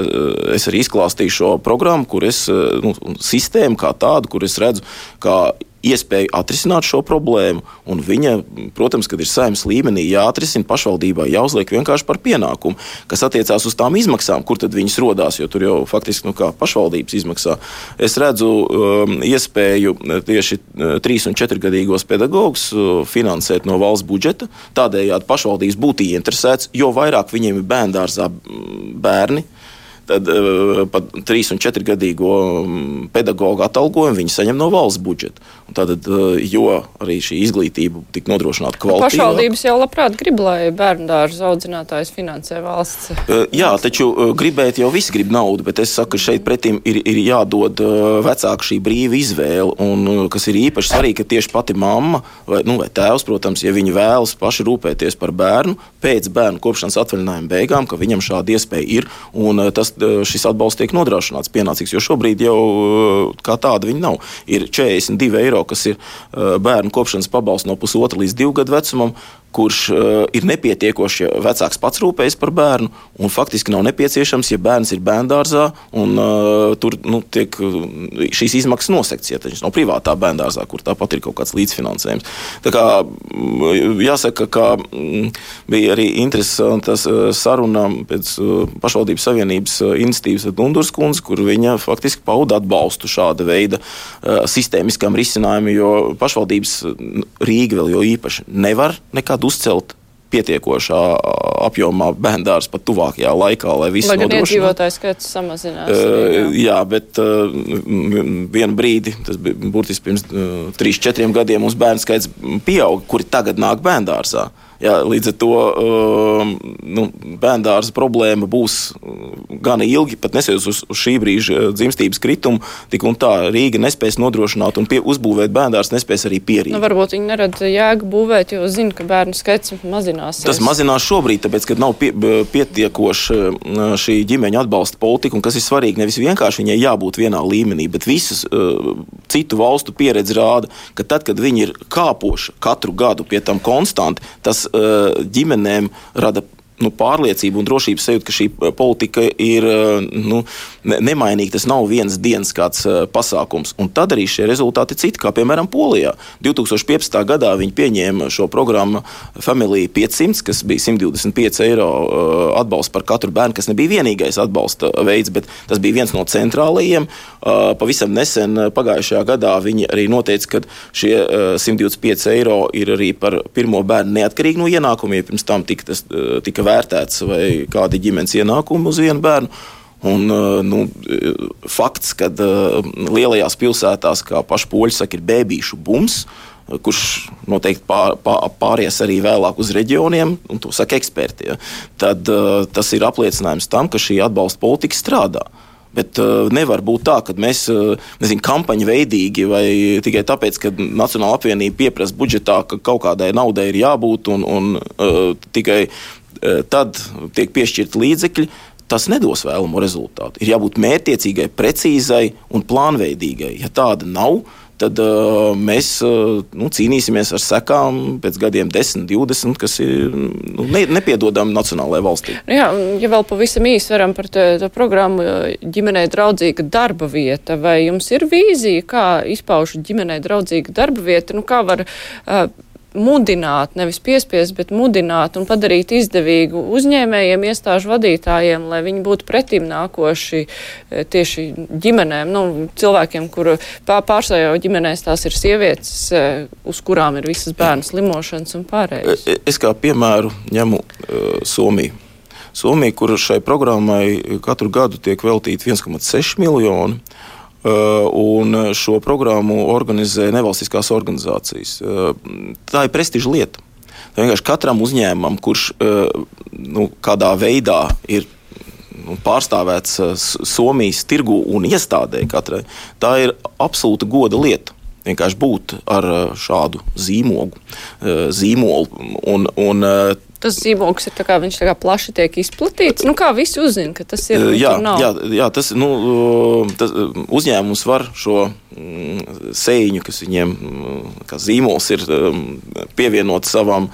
es arī izklāstīju šo programmu, kur sistēmu kā tādu, kur es redzu, kā iespēju atrisināt šo problēmu, un viņa, protams, kad ir Saeimas līmenī jāatrisina, pašvaldībā jāuzliek vienkārši par pienākumu, kas attiecās uz tām izmaksām, kur tad viņas rodās, jo tur jau faktiski kā pašvaldības izmaksā. Es redzu iespēju tieši 3- un 4-gadīgos pedagogus finansēt no valsts budžeta, tādējādi pašvaldības būtu ieinteresēts, jo vairāk viņiem ir bērndārzā bērni, tad pat 3- un 4-gadīgo pedagogu atalgojumu viņi saņem no valsts budžeta. Un tātad, jo arī šī izglītība tik nodrošināta kvalitīvā. Pašvaldības jau labprāt grib, lai bērndārza audzinātājs finansē valsts. Jā, taču gribēt jau visi grib naudu, bet es saku, ka šeit pretim ir jādod vecāku šī brīva izvēle, un kas ir īpaši svarīgi, ka tieši pati mamma vai tēvs, protams, ja viņi vēlas paši rūpēties par bērnu, pēc bērnu kopšanas atvaļinājuma beigām, ka viņam šāda iespēja ir, un šis atbalsts tiek nodrošināts pienācīgs, jo šobrīd jau kā tāda viņa nav. Ir 42 eiro, kas ir bērnu kopšanas pabalsts no 1,5 līdz 2 gadu vecumam, kurš ir nepietiekoši, ja vecāks pats rūpējas par bērnu, un faktiski nav nepieciešams, ja bērns ir bērndārzā, un tur tiek šīs izmaksas nosekts, ja tas nav privātā bērndārzā, kur tāpat ir kaut kāds līdzfinansējums. Tā kā jāsaka, ka bija arī interesantas saruna pēc pašvaldības savienības iniciatīvas ar Dundurs kundzi, kur viņa faktiski pauda atbalstu šāda veida sistēmiskām risinājumiem, jo pašvaldības Rīga vēl jo īpaši nevar nekādu uzcelt pietiekošā apjomā bērndārs pat tuvākajā laikā, lai viss nodrošinātu. Lai gan iedzīvotāju skaits samazinās. Jā, bet vienu brīdi, tas bija burtiski pirms 3-4 gadiem, mums bērnu skaits pieauga, kuri tagad nāk bērndārsā. Jā, līdz ar to bērndārza problēma būs gan ilgi, pat neskatoties uz šī brīža dzimstības kritumu, tik un tā Rīga nespēs nodrošināt un uzbūvēt bērndārs nespēs arī Pierīga. Varbūt viņi nerad jēgu būvēt, jo zina, ka bērnu skaits mazināsies. Tas mazinās šobrīd, tāpēc, ka nav pietiekoša šī ģimeņa atbalsta politika, un kas ir svarīgi, nevis vienkārši viņai jābūt vienā līmenī, bet visas citu valstu pieredze rāda, ka tad, kad viņi ir kāpoši katru gadu pie tam konstanti, tas ģimenēm rada pārliecību un drošības sajūtu, ka šī politika ir nemainīga. Tas nav vienas dienas kāds pasākums. Un tad arī šie rezultāti ir citi, kā piemēram Polijā. 2015. gadā viņi pieņēma šo programmu Family 500, kas bija 125 eiro atbalsts par katru bērnu, kas nebija vienīgais atbalsta veids, bet tas bija viens no centrālajiem. Pavisam nesen pagājušajā gadā viņi arī noteica, ka šie 125 eiro ir arī par pirmo bērnu neatkarīgi no ienākumiem. Pirms tam tika vērtēts vai kādi ģimenes ienākumi uz vienu bērnu. Un fakts, ka lielajās pilsētās, kā paši poļi saka, ir bēbīšu bums, kurš noteikti pāries arī vēlāk uz reģioniem, un to saka eksperti, ja, tad tas ir apliecinājums tam, ka šī atbalsta politika strādā. Bet nevar būt tā, ka mēs, kampaņu veidīgi vai tikai tāpēc, ka Nacionāla apvienība pieprasa budžetā, ka kaut kādai naudai ir jābūt un tikai tad tiek piešķirti līdzekļi, tas nedos vēlamo rezultātu. Ir jābūt mērķtiecīgai, precīzai un plānveidīgai. Ja tāda nav, tad mēs cīnīsimies ar sekām pēc gadiem 10, 20, kas ir nepiedodami nacionālajai valstī. Jā, ja vēl pavisam īsi varam par to programmu ģimenei draudzīga darba vieta, vai jums ir vīzija, kā izpauž ģimenei draudzīga darba vieta, kā var mudināt, nevis piespiest, bet mudināt un padarīt izdevīgu uzņēmējiem, iestāžu vadītājiem, lai viņi būtu pretim nākoši tieši ģimenēm, cilvēkiem, kuru pārsvarā ģimenēs tās ir sievietes, uz kurām ir visas bērnu slimošanas un pārējais. Es kā piemēru ņemu Somiju. Somija, kur šai programmai katru gadu tiek veltīti 1,6 miljoni, Un šo programmu organizē nevalstiskās organizācijas. Tā ir prestiža lieta. Tā vienkārši katram uzņēmumam, kurš kādā veidā ir pārstāvēts Somijas tirgu un iestādē katrai, tā ir absolūta goda lieta. Vienkārši būt ar šādu zīmolu. Tas zīmogs ir viņš plaši tiek izplatīts. Kā visi uzzina, ka tas ir? Jā, tas uzņēmums var šo sēņu, kas viņiem kā zīmols ir, pievienot savam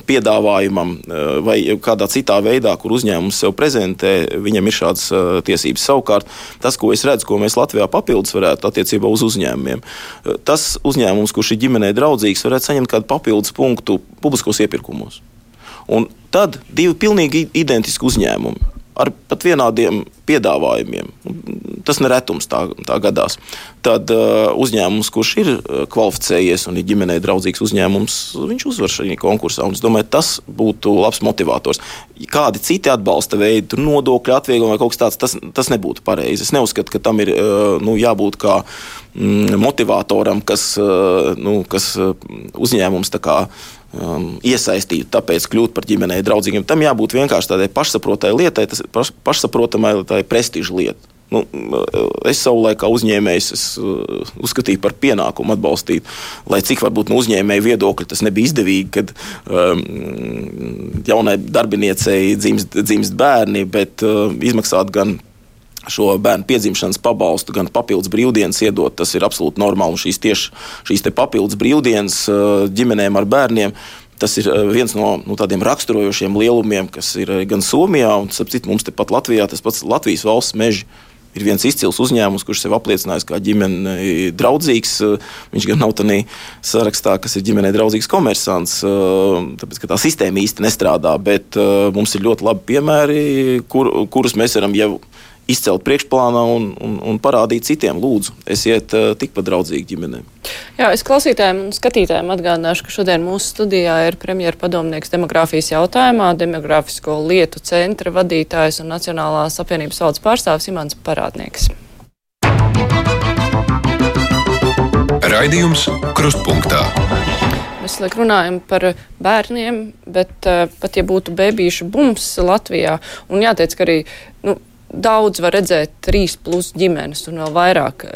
piedāvājumam vai kādā citā veidā, kur uzņēmums sev prezentē, viņam ir šādas tiesības. Savukārt, tas, ko es redzu, ko mēs Latvijā papildus varētu attiecībā uz uzņēmumiem, tas uzņēmums, kurš ir ģimenei draudzīgs, varētu saņemt kādu papildus punktu publiskos iepirkumos. Un tad divi pilnīgi identiski uzņēmumi ar pat vienādiem piedāvājumiem. Tas neretums tā gadās. Tad uzņēmums, kurš ir kvalificējies un ir ģimenei draudzīgs uzņēmums, viņš uzvar šajā konkursā. Un es domāju, tas būtu labs motivators. Kādi citi atbalsta veidi, nodokļu atvieglojumi vai kaut kas tāds, tas nebūtu pareizi. Es neuzskatu, ka tam ir jābūt kā motivatoram, kas uzņēmums tā kā iesaistītu, tāpēc kļūt par ģimenei draudzīgiem. Tam jābūt vienkārši tādai pašsaprotamai lietai, tas pašsaprotamai tā ir prestiža lieta. Es savulaik kā uzņēmējs uzskatīju par pienākumu atbalstīt, lai cik varbūt no uzņēmēja viedokļa tas nebija izdevīgi, kad jaunai darbiniecei dzimst bērni, bet izmaksāt gan šo bērnu piedzimšanas pabalstu, gan papildus brīvdienas iedot, tas ir absolūti normāli. Un šīs te papildus brīvdienas ģimenēm ar bērniem, tas ir viens no tādiem raksturojošiem lielumiem, kas ir gan Somijā, un sapcīt mums tepat Latvijā, tas pats Latvijas valsts meži ir viens izcils uzņēmums, kurš sev apliecinājis kā ģimenei draudzīgs. Viņš gan nav tādā sarakstā, kas ir ģimenei draudzīgs komersants, tāpēc, ka tā sistēma īsti nestrādā, bet mums ir ļoti labi piemēri, kurus mēs varam jau izcelt priekšplānā un parādīt citiem. Lūdzu, esiet tikpat draudzīgi ģimenēm. Jā, es klausītājiem un skatītājiem atgādināšu, ka šodien mūsu studijā ir premjera padomnieks demogrāfijas jautājumā, Demogrāfisko lietu centra vadītājs un Nacionālās apvienības valdes pārstāvis Imants Parādnieks. Raidījums Krustpunktā. Mēs runājam par bērniem, bet pat ja būtu bebīšu bums Latvijā, un jāteic, ka arī daudz var redzēt 3+ ģimenes un vēl vairāk,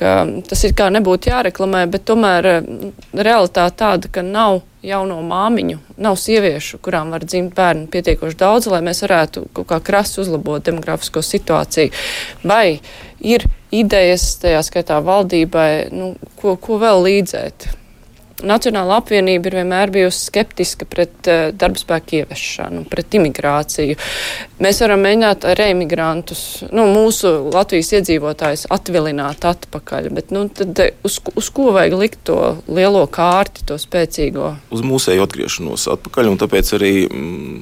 ka tas ir kā nebūtu jāreklamē, bet tomēr realitāte tāda, ka nav jauno māmiņu, nav sieviešu, kurām var dzimt bērnu pietiekoši daudz, lai mēs varētu kaut kā krasi uzlabot demografisko situāciju. Vai ir idejas, tajā skaitā valdībai, ko vēl līdzēt? Nacionāla apvienība ir vienmēr bijusi skeptiska pret darbspēku ieviešanu, pret imigrāciju. Mēs varam mēģināt reimigrantus, mūsu Latvijas iedzīvotājus atvilināt atpakaļ, bet tad uz ko vajag likt to lielo kārti, to spēcīgo? Uz mūsēju atgriešanos atpakaļ, un tāpēc arī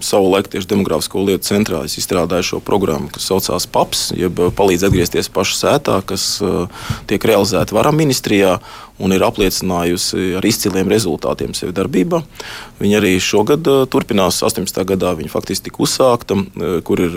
savulaik tieši Demogrāfisko lietu centrā es izstrādāju šo programmu, kas saucās PAPS, jeb palīdz atgriezties pašu sētā, kas tiek realizēta Vara ministrijā un ir apliecinājusi ar izciliem rezultātiem sevi darbībā. Viņa arī šogad turpinās, 18. gadā viņa faktiski tika uzsākta, kur ir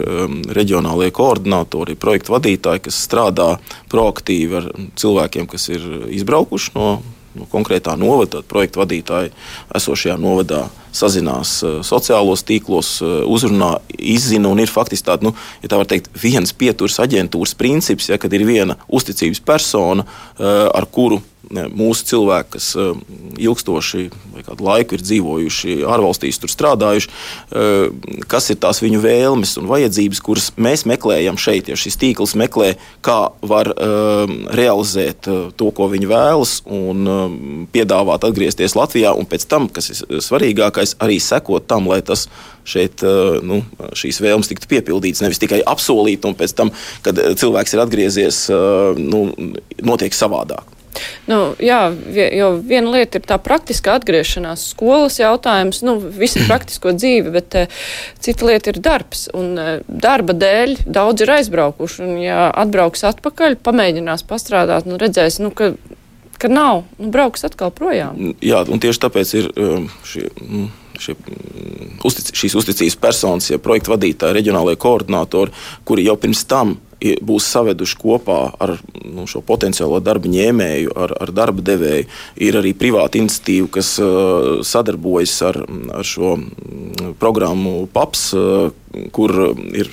reģionālie koordinātori, projektu vadītāji, kas strādā proaktīvi ar cilvēkiem, kas ir izbraukuši no konkrētā novada. Projektu vadītāji esošajā novadā sazinās sociālos tīklos, uzrunā, izzina un ir faktiski tāda, ja tā var teikt, viens pieturas aģentūras princips, kad ir viena uzticības persona, ar kuru mūsu cilvēki, kas ilgstoši vai kādu laiku ir dzīvojuši ārvalstīs, tur strādājuši, kas ir tās viņu vēlmes un vajadzības, kuras mēs meklējam šeit, ja šis tīkls meklē, kā var realizēt to, ko viņi vēlas, un piedāvāt atgriezties Latvijā, un pēc tam, kas ir svarīgākais, arī sekot tam, lai tas šeit šīs vēlmes tiktu piepildītas, nevis tikai apsolīt, un pēc tam, kad cilvēks ir atgriezies, notiek savādāk. Jā, jo viena lieta ir tā praktiskā atgriešanās, skolas jautājums, visa praktisko dzīve, bet cita lieta ir darbs. Un darba dēļ daudz ir aizbraukuši, un ja atbrauks atpakaļ, pamēģinās pastrādāt, redzēs, ka nav, brauks atkal projām. Jā, un tieši tāpēc ir šīs uzticības personas, ja projektu vadītāji, reģionālajie koordinātori, kuri jau pirms tam būs saveduši kopā ar šo potenciālo darba ņēmēju, ar darba devēju. Ir arī privāta iniciatīva, kas sadarbojas ar šo programmu PAPS, kur ir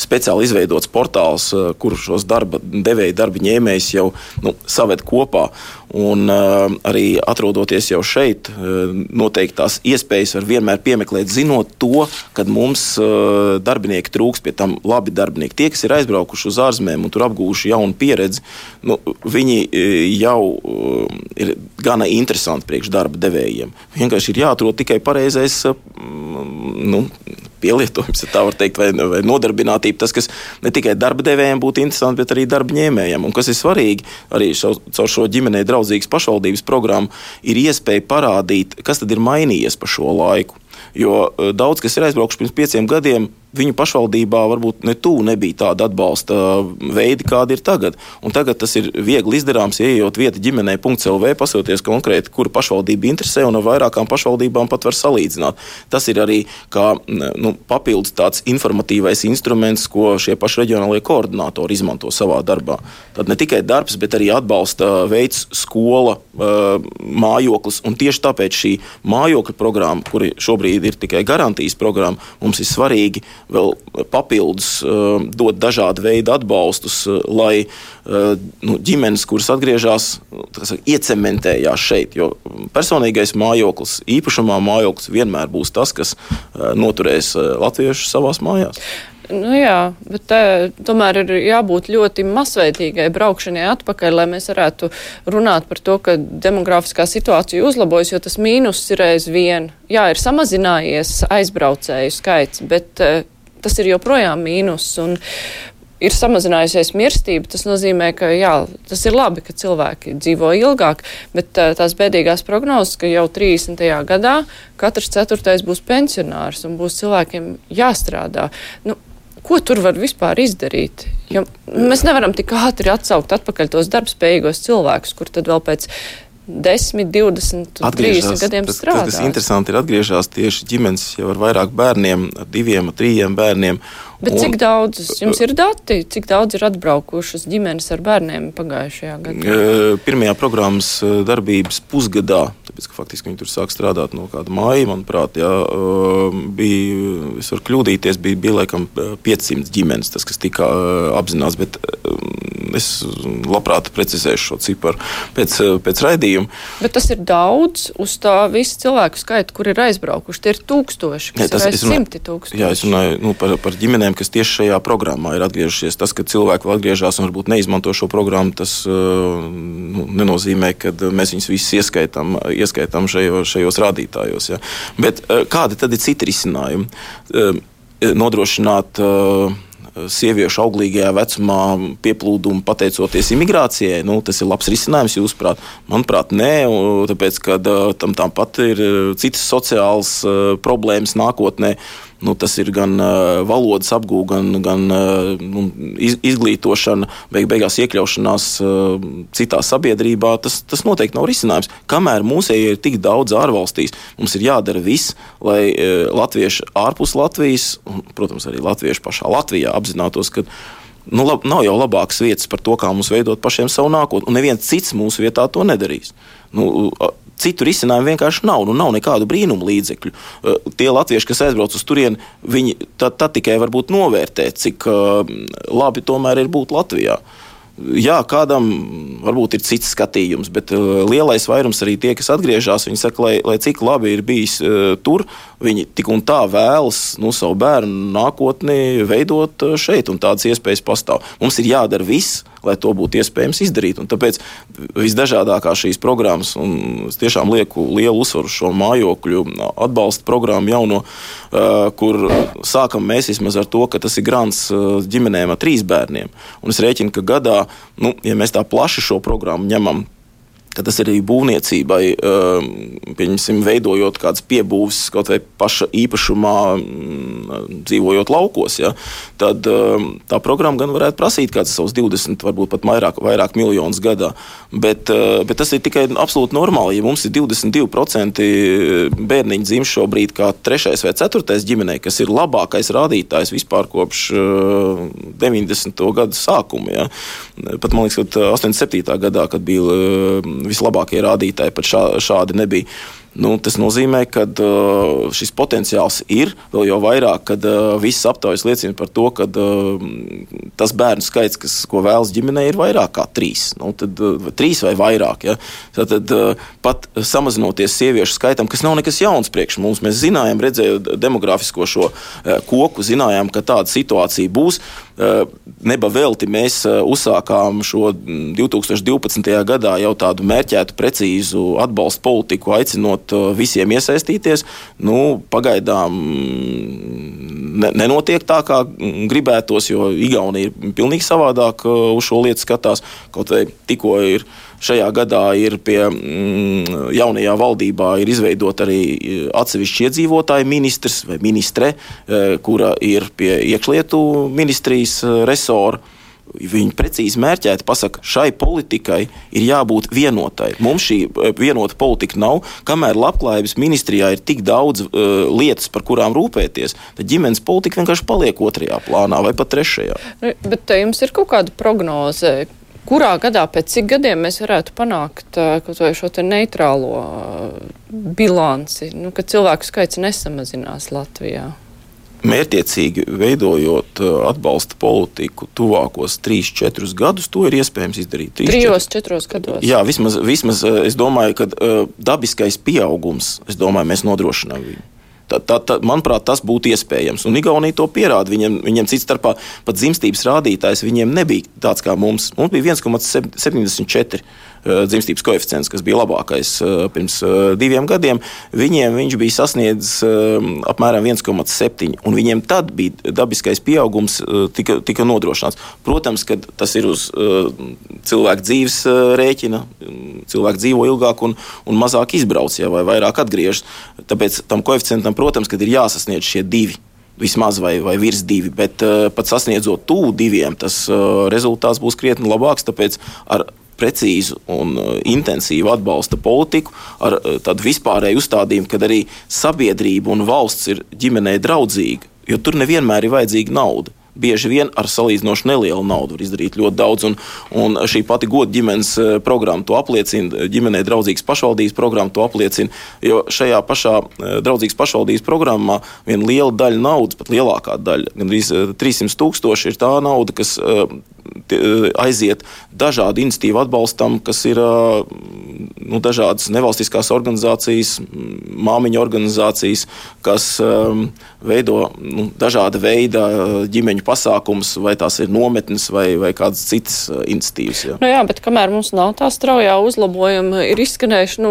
speciāli izveidots portāls, kur šos darba devēju, darba ņēmējus jau saved kopā. Un arī atrodoties jau šeit, noteikti tās iespējas var vienmēr piemeklēt, zinot to, kad mums darbinieki trūks, pie tam labi darbinieki. Tie, kas ir aizbraukuši uz ārzemēm un tur apgūši jaunu pieredzi, viņi jau ir gana interesanti priekš darba devējiem. Vienkārši ir jāatrod tikai pareizais pielietojums, ja tā var teikt, vai nodarbinātība, tas, kas ne tikai darba devējiem būtu interesanti, bet arī darba ņēmējiem. Un kas ir svarīgi, arī caur šo ģimenei draudzīgas pašvaldības programmu, ir iespēja parādīt, kas tad ir mainījies pa šo laiku. Jo daudz, kas ir aizbraukuši pirms 5 gadiem, viņu pašvaldībā varbūt ne tuvu nebija tāda atbalsta veidi, kādi ir tagad. Un tagad tas ir viegli izdarāms, ieejot vieta ģimenei.lv, pasoties konkrēti, kura pašvaldība interesē, un ar vairākām pašvaldībām pat var salīdzināt. Tas ir arī kā papildus tāds informatīvais instruments, ko šie paši reģionālie koordinātori izmanto savā darbā. Tad ne tikai darbs, bet arī atbalsta veids skola, mājoklis, un tieši tāpēc šī mājokļa programma, kuri šobrīd ir tikai garantijas programma, mums ir svarīgi vēl papildus dot dažādu veidu atbalstus, lai ģimenes, kuras atgriežas, iecementējās šeit, jo personīgais mājoklis, īpašumā mājoklis vienmēr būs tas, kas noturēs latviešus savās mājās. Jā, bet tomēr ir jābūt ļoti masveidīgai braukšanai atpakaļ, lai mēs varētu runāt par to, ka demografiskā situācija uzlabojas, jo tas mīnus ir aizvien. Jā, ir samazinājies aizbraucēju skaits, bet tas ir joprojām mīnus un ir samazinājusies mirstība. Tas nozīmē, ka jā, tas ir labi, ka cilvēki dzīvo ilgāk, bet tās bēdīgās prognozes, ka jau 30. gadā katrs 4. būs pensionārs un būs cilvēkiem jāstrādā. Ko tur var vispār izdarīt? Jo mēs nevaram tik ātri atsaukt atpakaļ tos darbspējīgos cilvēkus, kur tad vēl pēc 10, 20, 30 gadiem strādās. Tas interesanti ir atgriežās tieši ģimenes jau ar vairāk bērniem, ar 2, 3 bērniem. Bet cik daudz, jums ir dati, cik daudz ir atbraukušas ģimenes ar bērniem pagājušajā gadā? Pirmajā programmas darbības pusgadā, tāpēc, ka faktiski viņi tur sāk strādāt no kāda māja, manuprāt, bija, es varu kļūdīties, bija laikam 500 ģimenes, tas, kas tika apzināts, bet es labprāt precizēšu šo ciparu pēc raidījuma. Bet tas ir daudz uz tā visu cilvēku skaitu, kur ir aizbraukuši. Tie ir tūkstoši, kas ir aiz 100 tūkstoši. Jā, es runāju par ģimenēm, kas tieši šajā programmā ir atgriežušies. Tas, ka cilvēki vēl atgriežās un varbūt neizmanto šo programmu, tas nenozīmē, ka mēs viņus visus ieskaitām šajos rādītājos. Ja. Bet kādi tad ir citi risinājumi? Nodrošināt sieviešu auglīgajā vecumā pieplūdumu pateicoties imigrācijai, tas ir labs risinājums, jūsuprāt? Manuprāt, nē, tāpēc, ka tam tāpat ir citas sociālas problēmas nākotnē. Tas ir gan valodas apgūve, gan izglītošana, beigās iekļaušanās citā sabiedrībā. Tas noteikti nav risinājums. Kamēr mūsēji ir tik daudz ārvalstīs, mums ir jādara viss, lai latvieši ārpus Latvijas, un, protams, arī latvieši pašā Latvijā apzinātos, ka nav jau labākas vietas par to, kā mums veidot pašiem savu nākotni, un neviens cits mūsu vietā to nedarīs. Citu risinājumu vienkārši nav. Nav nekādu brīnumu līdzekļu. Tie latvieši, kas aizbrauc uz turieni, viņi tad tikai varbūt novērtē, cik labi tomēr ir būt Latvijā. Jā, kādam varbūt ir cits skatījums, bet lielais vairums arī tie, kas atgriežas, viņi saka, lai cik labi ir bijis tur, viņi tik un tā vēlas savu bērnu nākotni veidot šeit, un tādas iespējas pastāv. Mums ir jādara viss, lai to būtu iespējams izdarīt, un tāpēc visdažādākās šīs programmas, un es tiešām lieku lielu uzsvaru šo mājokļu atbalsta programmu jauno, kur sākam mēs vismaz ar to, ka tas ir grants ģimenēm ar 3 bērniem, un es rēķinu, ka gadā, ja mēs tā plaši šo programmu ņemam, ka tas ir arī būvniecībai, pieņemsim, veidojot kādas piebūves, kaut vai paša īpašumā, dzīvojot laukos, ja, tad tā programma gan varētu prasīt kāds savus 20, varbūt pat vairāk miljonus gadā, bet tas ir tikai absolūti normāli. Ja mums ir 22% bērniņu dzimst šobrīd kā 3. vai 4. ģimenei, kas ir labākais rādītājs vispār kopš 90. gadu sākuma, ja. Pat, man liekas, ka 87. gadā, kad bija vislabākie rādītāji, pat šādi nebija. Tas nozīmē, ka šis potenciāls ir vēl jau vairāk, kad visas aptaujas liecina par to, ka tas bērnu skaits, ko vēlas ģimenei, ir vairāk kā 3. Tad 3 vai vairāk. Ja? Tad pat samazinoties sieviešu skaitam, kas nav nekas jauns priekš mums, mēs zinājām, redzējot demografisko šo koku, zinājām, ka tāda situācija būs. Neba velti mēs uzsākām šo 2012. gadā jau tādu mērķētu, precīzu atbalstu politiku, aicinot visiem iesaistīties. Pagaidām nenotiek tā, kā gribētos, jo Igaunija ir pilnīgi savādāk uz šo lietu skatās. Kaut vai tikko ir šajā gadā ir pie jaunajā valdībā ir izveidot arī atsevišķi iedzīvotāju ministrs vai ministre, kura ir pie iekšlietu ministrijas resora. Viņi precīzi mērķēti pasaka, šai politikai ir jābūt vienotai. Mums šī vienota politika nav, kamēr labklājības ministrijā ir tik daudz lietas, par kurām rūpēties, tad ģimenes politika vienkārši paliek 2. plānā vai pat 3. Bet jums ir kaut kāda prognoze, kurā gadā, pēc cik gadiem mēs varētu panākt kaut vai šo te neitrālo bilanci, kad cilvēku skaits nesamazinās Latvijā? Mērķiecīgi veidojot atbalsta politiku tuvākos 3-4 gadus, to ir iespējams izdarīt. 3-4 gados? Jā, vismaz es domāju, ka dabiskais pieaugums, mēs nodrošinām viņu. Manuprāt, tas būtu iespējams. Un Igaunija to pierāda. Viņiem cits starpā pat dzimstības rādītājs viņiem nebija tāds kā mums. Mums bija 1,74 dzimstības koeficients, kas bija labākais pirms 2 gadiem. Viņš bija sasniedzis apmēram 1,7. Un viņiem tad bija dabiskais pieaugums tika nodrošināts. Protams, ka tas ir uz cilvēku dzīves rēķina. Cilvēki dzīvo ilgāk un mazāk izbrauc, vai vairāk atgriežas. Tāpēc tam koeficientam, protams, kad ir jāsasniedz šie 2, vismaz vai virs 2, bet pat sasniedzot tuvu 2, tas rezultāts būs krietni labāks, tāpēc ar precīzu un intensīvu atbalsta politiku, ar tādu vispārēju uzstādījumu, kad arī sabiedrība un valsts ir ģimenei draudzīga, jo tur nevienmēr ir vajadzīga nauda. Bieži vien ar salīdzinoši nelielu naudu var izdarīt ļoti daudz, un šī pati goda ģimenes programma to apliecina, ģimenei draudzīgas pašvaldības programma to apliecina, jo šajā pašā draudzīgas pašvaldības programmā viena liela daļa naudas, pat lielākā daļa, gandrīz 300 000 ir tā nauda, kas aiziet dažādu iniciatīvu atbalstam, kas ir dažādas nevalstiskās organizācijas, māmiņu organizācijas, kas veido dažāda veida ģimeņu pasākums, vai tās ir nometnes vai kādas citas iniciatīvas. Jā, bet kamēr mums nav tā straujā uzlabojuma, ir izskanējuši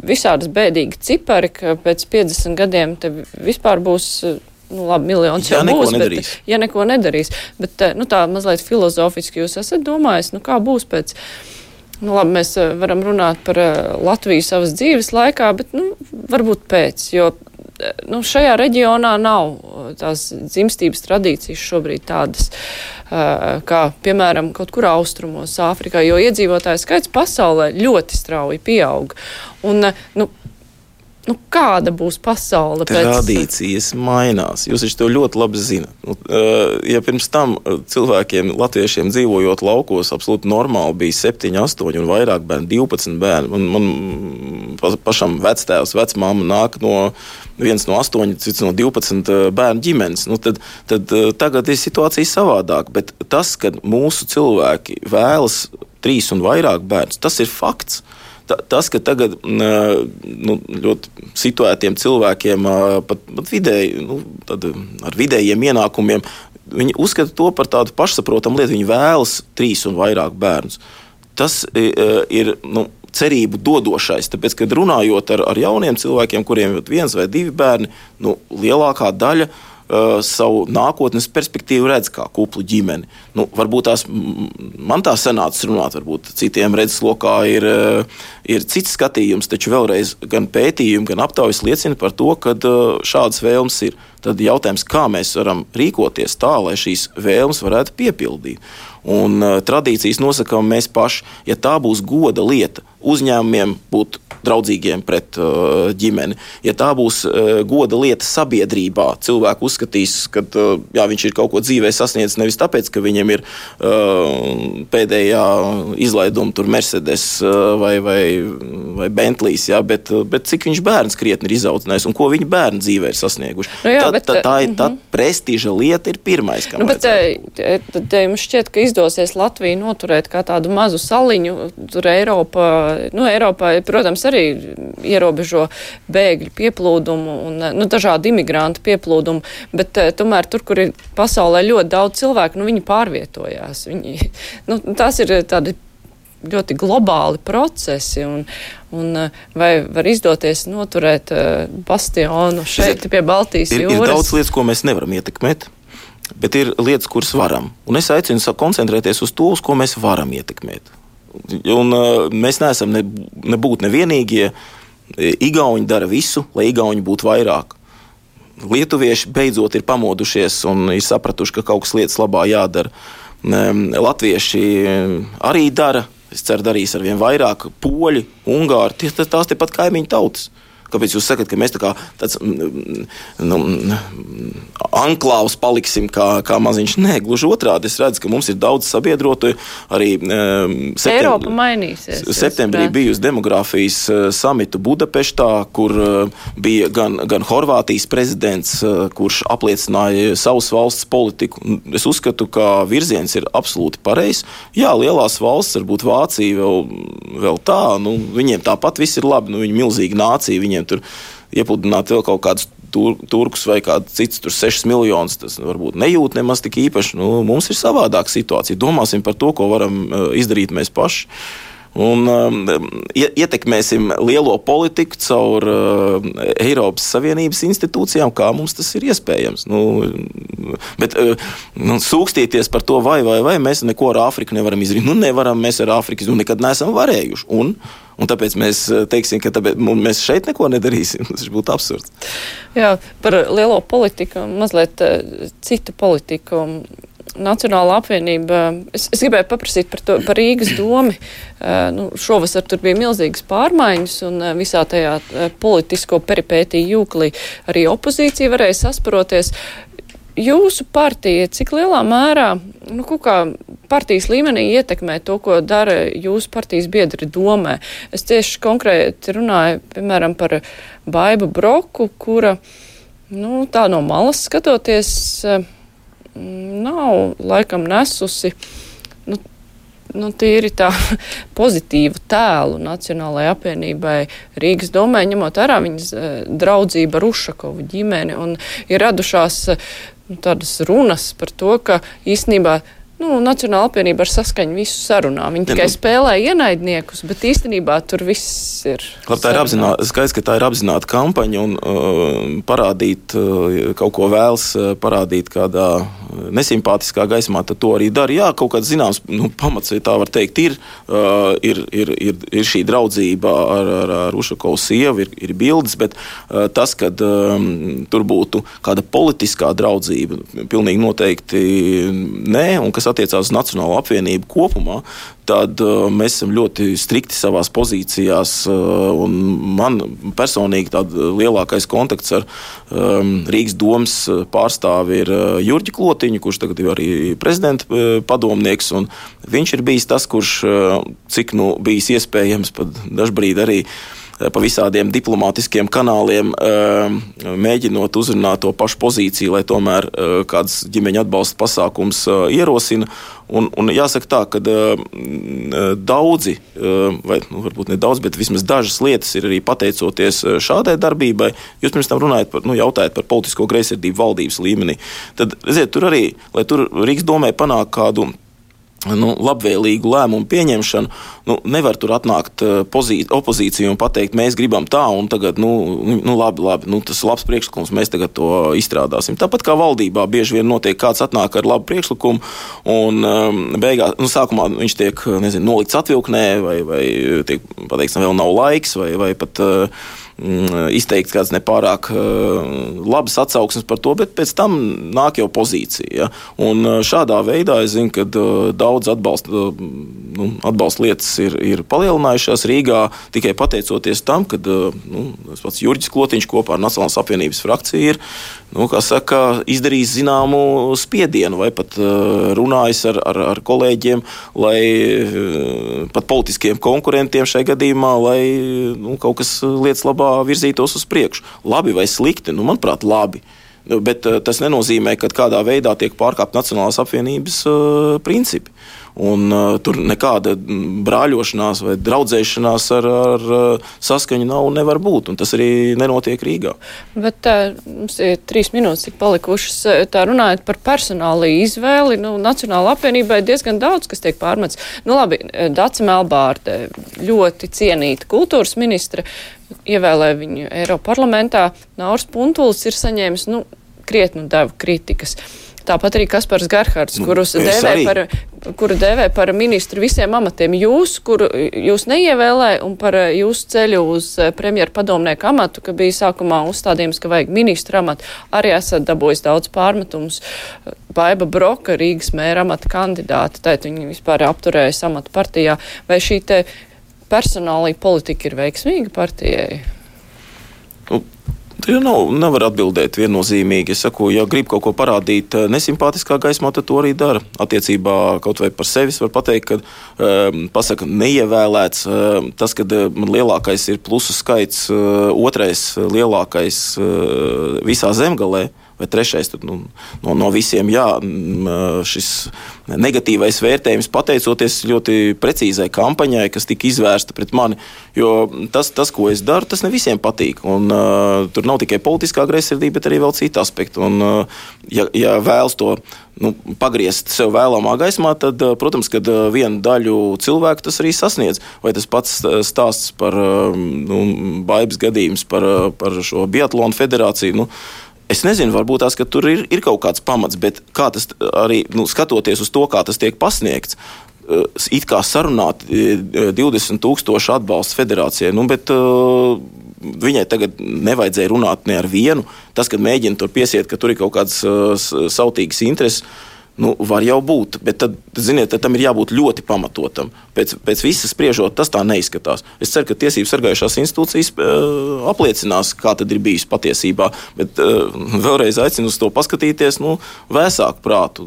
visādas bēdīgi cipari, ka pēc 50 gadiem te vispār būs miljons jau būs, ja neko nedarīs. Bet tā mazliet filozofiski jūs esat domājis, kā būs pēc. Mēs varam runāt par Latviju savas dzīves laikā, bet varbūt pēc, jo šajā reģionā nav tās dzimstības tradīcijas šobrīd tādas, kā, piemēram, kaut kur austrumos, Āfrikā, jo iedzīvotāju skaits pasaulē ļoti strauji pieaug. Un, kāda būs pasaule pēc... Tradīcijas mainās. Jūs to ļoti labi zināt. Ja pirms tam cilvēkiem, latviešiem dzīvojot laukos, absolūti normāli bija 7, 8 un vairāk bērni, 12 bērni. Man pašam vectēvs, vecmāma nāk viens no 8, cits no 12 bērnu ģimenes. Tad tagad ir situācija savādāk, bet tas, kad mūsu cilvēki vēlas 3 un vairāk bērnus, tas ir fakts. Tas, ka tagad ļoti situētiem cilvēkiem, pat vidēji, ar vidējiem ienākumiem, viņi uzskata to par tādu pašsaprotamu lietu, viņi vēlas 3 un vairāk bērnus. Tas ir cerību dodošais, tāpēc, kad runājot ar jauniem cilvēkiem, kuriem ir 1 vai 2 bērni, lielākā daļa savu nākotnes perspektīvu redz kā kuplu ģimeni. Varbūt man tā sanācis runāt, varbūt citiem redzeslokā ir cits skatījums, taču vēlreiz gan pētījumi, gan aptaujas liecina par to, ka šādas vēlmes ir. Tad jautājums, kā mēs varam rīkoties tā, lai šīs vēlmes varētu piepildīt. Un tradīcijas nosakām mēs paši. Ja tā būs goda lieta, uzņēmumiem būt draudzīgiem pret ģimeni. Ja tā būs goda lieta sabiedrībā, cilvēki uzskatīs, ka viņš ir kaut ko dzīvē sasniedzis nevis tāpēc, ka viņam ir pēdējā izlaiduma tur Mercedes vai Bentleys, bet cik viņš bērns krietni ir izaudzinājis un ko viņa bērni dzīvē ir sasnieguši. Tā prestiža lieta ir pirmais, kam vajadzētu. Tad jums šķiet, ka izdosies Latviju noturēt kā tādu mazu saliņu, tur Eiropā, protams, arī ierobežo bēgļu pieplūdumu un dažādu imigrantu pieplūdumu, bet tomēr tur, kur ir pasaulē ļoti daudz cilvēku, viņi pārvietojās. Tās ir tādi ļoti globāli procesi, un vai var izdoties noturēt bastionu šeit pie Baltijas jūras? Ir daudz lietas, ko mēs nevaram ietekmēt, bet ir lietas, kuras varam. Un es aicinu koncentrēties uz to, uz ko mēs varam ietekmēt. Un mēs neesam nebūt nevienīgie. Igauņi dara visu, lai igauņi būtu vairāk. Lietuvieši beidzot ir pamodušies un ir sapratuši, ka kaut kas lietas labā jādara. Latvieši arī dara, es ceru, darīs arvien vairāk. Poļi, ungāri, tās tepat kaimiņu tautas. Kāpēc jūs sakat, ka mēs tā kā tāds anklāvs paliksim kā maziņš? Nē, gluži otrādi. Es redzu, ka mums ir daudz sabiedrotu. Arī Eiropa mainīsies. Septembrī biju uz demogrāfijas samitu Budapeštā, kur bija gan Horvātijas prezidents, kurš apliecināja savas valsts politiku. Es uzskatu, ka virziens ir absolūti pareizs. Jā, lielās valsts, varbūt Vācija vēl tā, viņiem tāpat viss ir labi, viņi milzīgi nācija, viņiem tur iepludināt vēl kaut kādus turkus vai kādu cits tur 6 miljonus, tas varbūt nejūt nemaz tik īpaši. Mums ir savādāka situācija. Domāsim par to, ko varam izdarīt mēs paši. Un ietekmēsim lielo politiku caur Eiropas Savienības institūcijām, kā mums tas ir iespējams. Bet sūkstīties par to, vai mēs neko ar Āfriku nevaram izdarīt. Nevaram mēs ar Āfriku, nekad neesam varējuši. Un tāpēc mēs teiksim, ka mēs šeit neko nedarīsim. Tas būtu absurds. Jā, par lielo politiku, mazliet citu politiku. Nacionāla apvienība, es gribēju paprasīt par Rīgas domu. Šovasar tur bija milzīgas pārmaiņas un visā tajā politisko peripētiju jūklī arī opozīcija varēja sasparoties. Jūsu partija, cik lielā mērā, kaut kā partijas līmenī ietekmē to, ko dara jūsu partijas biedri domē? Es tieši konkrēti runāju, piemēram, par Baibu Broku, kura, tā no malas skatoties, nav laikam nesusi tīri tā pozitīvu tēlu Nacionālajai apvienībai Rīgas domē, ņemot vērā viņas draudzību ar Ušakovu ģimeni, un ir radušās tādas runas par to, ka īstenībā Nacionāla apvienība ar saskaņu visu sarunā. Viņi tikai spēlē ienaidniekus, bet īstenībā tur viss ir. Tā ir skaidrs, ka tā ir apzināta kampaņa un parādīt kaut ko vēlas, parādīt kādā nesimpātiskā gaismā, tad to arī dara. Jā, kaut kāds zināms pamats, ja tā var teikt, ir šī draudzība ar Ušakovu sievu, ir bildes, bet tas, kad tur būtu kāda politiskā draudzība, pilnīgi noteikti nē, un kas attiecās uz Nacionālo apvienību kopumā, tad mēs esam ļoti strikti savās pozīcijās, un man personīgi tāda lielākais kontakts ar Rīgas domas pārstāvi ir Jurģi Klotiņu, kurš tagad ir arī prezidenta padomnieks, un viņš ir bijis tas, kurš, cik bijis iespējams, pat dažbrīd arī pa visādiem diplomātiskiem kanāliem mēģinot uzrunāt to pašu pozīciju, lai tomēr kāds ģimeņa atbalsta pasākums ierosina. Un jāsaka tā, ka daudzi, vai varbūt ne daudz, bet vismaz dažas lietas ir arī pateicoties šādai darbībai. Jūs pirms tam jautājat par politisko greizsirdību valdības līmenī. Tad, redziet, tur arī, lai tur Rīgas domē panāk kādu labvēlīgu lēmumu pieņemšanu, nevar tur atnākt opozīciju un pateikt, mēs gribam tā, un tagad, labi, tas ir labs priekšlikums, mēs tagad to izstrādāsim. Tāpat kā valdībā bieži vien notiek kāds atnāk ar labu priekšlikumu, un beigās, sākumā viņš tiek, nolikts atvilknē, vai tiek pateikts, vēl nav laiks, vai pat izteikts kāds nepārāk labas atsauksmes par to, bet pēc tam nāk jau pozīcija. Ja? Un šādā veidā es zinu, ka daudz atbalsta lietas ir palielinājušās Rīgā tikai pateicoties tam, ka pats Jurģis Klotiņš kopā ar Nacionālās apvienības frakciju ir izdarījis zināmu spiedienu vai pat runājis ar kolēģiem, lai pat politiskiem konkurentiem šai gadījumā, lai kaut kas lietas labā virzītos uz priekšu. Labi vai slikti? Manuprāt, labi. Bet tas nenozīmē, ka kādā veidā tiek pārkāpt Nacionālās apvienības principi. Un tur nekāda brāļošanās vai draudzēšanās ar saskaņu nav un nevar būt. Un tas arī nenotiek Rīgā. Bet mums ir 3 minūtes tik palikušas. Tā runājot par personāla izvēli, Nacionāla apvienībai diezgan daudz, kas tiek pārmets. Labi, Dace Melbārde, ļoti cienīta kultūras ministre, ievēlēja viņu Eiroparlamentā. Nauris Puntulis ir saņēmis, krietnu devu kritikas. Tāpat arī Kaspars Gerhards, kuru dēvē par ministru visiem amatiem. Jūs neievēlēja un par jūsu ceļu uz premjeru padomnieku amatu, ka bija sākumā uzstādījums, ka vajag ministru amatu, arī esat dabūjis daudz pārmetumus. Baiba Broka, Rīgas mēra amata kandidāta, tātad viņi vispār apturēja amatu partijā. Vai šī te personālī politika ir veiksmīga partijai? Nevar atbildēt viennozīmīgi. Es saku, ja grib kaut ko parādīt nesimpātiskā gaismā, tad to arī dara. Attiecībā kaut vai par sevis var pateikt, ka pasaka neievēlēts. Tas, kad man lielākais ir plusu skaits, otrais lielākais visā Zemgalē, vai trešais, tad no visiem, šis negatīvais vērtējums pateicoties ļoti precīzai kampaņai, kas tika izvērsta pret mani, jo tas, ko es daru, tas ne visiem patīk, un tur nav tikai politiskā greizsirdība, bet arī vēl cita aspekta, un ja vēlas to pagriezt sev vēlamā gaismā, tad, protams, kad vienu daļu cilvēku tas arī sasniedz, vai tas pats stāsts par Baibas gadījums par šo biatlonu federāciju, es nezinu, varbūt tās, ka tur ir kaut kāds pamats, bet kā tas arī, skatoties uz to, kā tas tiek pasniegts, it kā sarunāt 20,000 atbalsts federācijai, bet viņai tagad nevajadzēja runāt ne ar vienu. Tas, kad mēģina tur piesiet, ka tur ir kaut kādas sautīgas intereses, var jau būt, bet tad, ziniet, tam ir jābūt ļoti pamatotam. Pēc visas spriežot, tas tā neizskatās. Es ceru, ka tiesības sargājušās institūcijas apliecinās, kā tad ir bijis patiesībā, bet vēlreiz aicinu uz to paskatīties, vēsāk prātu,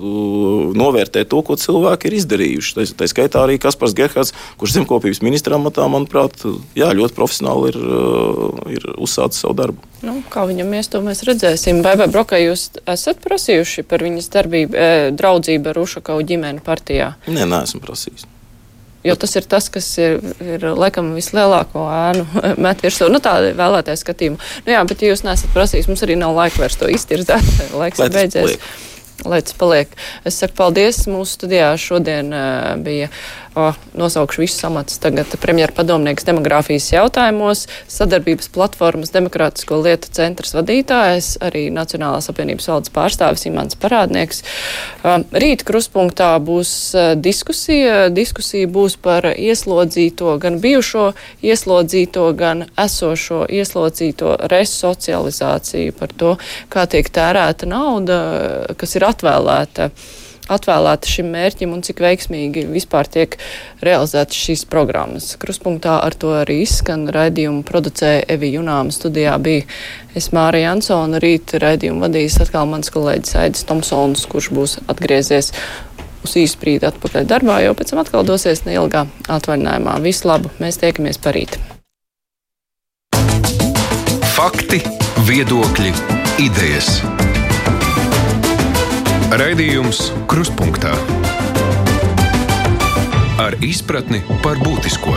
novērtēt to, ko cilvēki ir izdarījuši. Tā skaitā arī Kaspars Gerhards, kurš zemkopības ministra amatā, manuprāt, ļoti profesionāli ir uzsācis savu darbu. Kā viņam ies, to mēs redzēsim. Baibai Brokai, jūs esat prasījuši par viņas draudzību ar Ušakovu ģimeni partijā? Nē, neesmu prasījis. Jo tas ir tas, kas ir laikam vislielāko ēnu met virsū. Tāda vēlētāja skatījuma. Bet ja jūs neesat prasījis, mums arī nav laika vairs to iztirzēt. Laiks ir beidzies. Lai tas paliek. Es saku paldies. Mūsu studijā šodien bija, nosaukšu visus amatus, tagad premjera padomnieks demogrāfijas jautājumos, sadarbības platformas Demokrātisko lietu centrs vadītājs, arī Nacionālās apvienības valdes pārstāvis Imants Parādnieks. Rīt kruspunktā būs diskusija. Diskusija būs par ieslodzīto, gan bijušo ieslodzīto, gan esošo ieslodzīto resocializāciju, par to, kā tiek tērēta nauda, kas ir atvēlēta šim mērķim un cik veiksmīgi vispār tiek realizētas šīs programmas. Kruspunktā ar to arī izskan. Raidījumu producēja Evi Junāma, studijā bija es Mārija Ansona, rīt raidījumu vadīs atkal mans kolēģis Aidis Tomsons, kurš būs atgriezies uz īsu brīdi atpakaļ darbā, jo pēc tam atkal dosies neilgā atvaļinājumā. Visu labu, mēs tiekamies parīt. Fakti, viedokļi, idejas. Raidījums Kruspunktā ar izpratni par būtisko.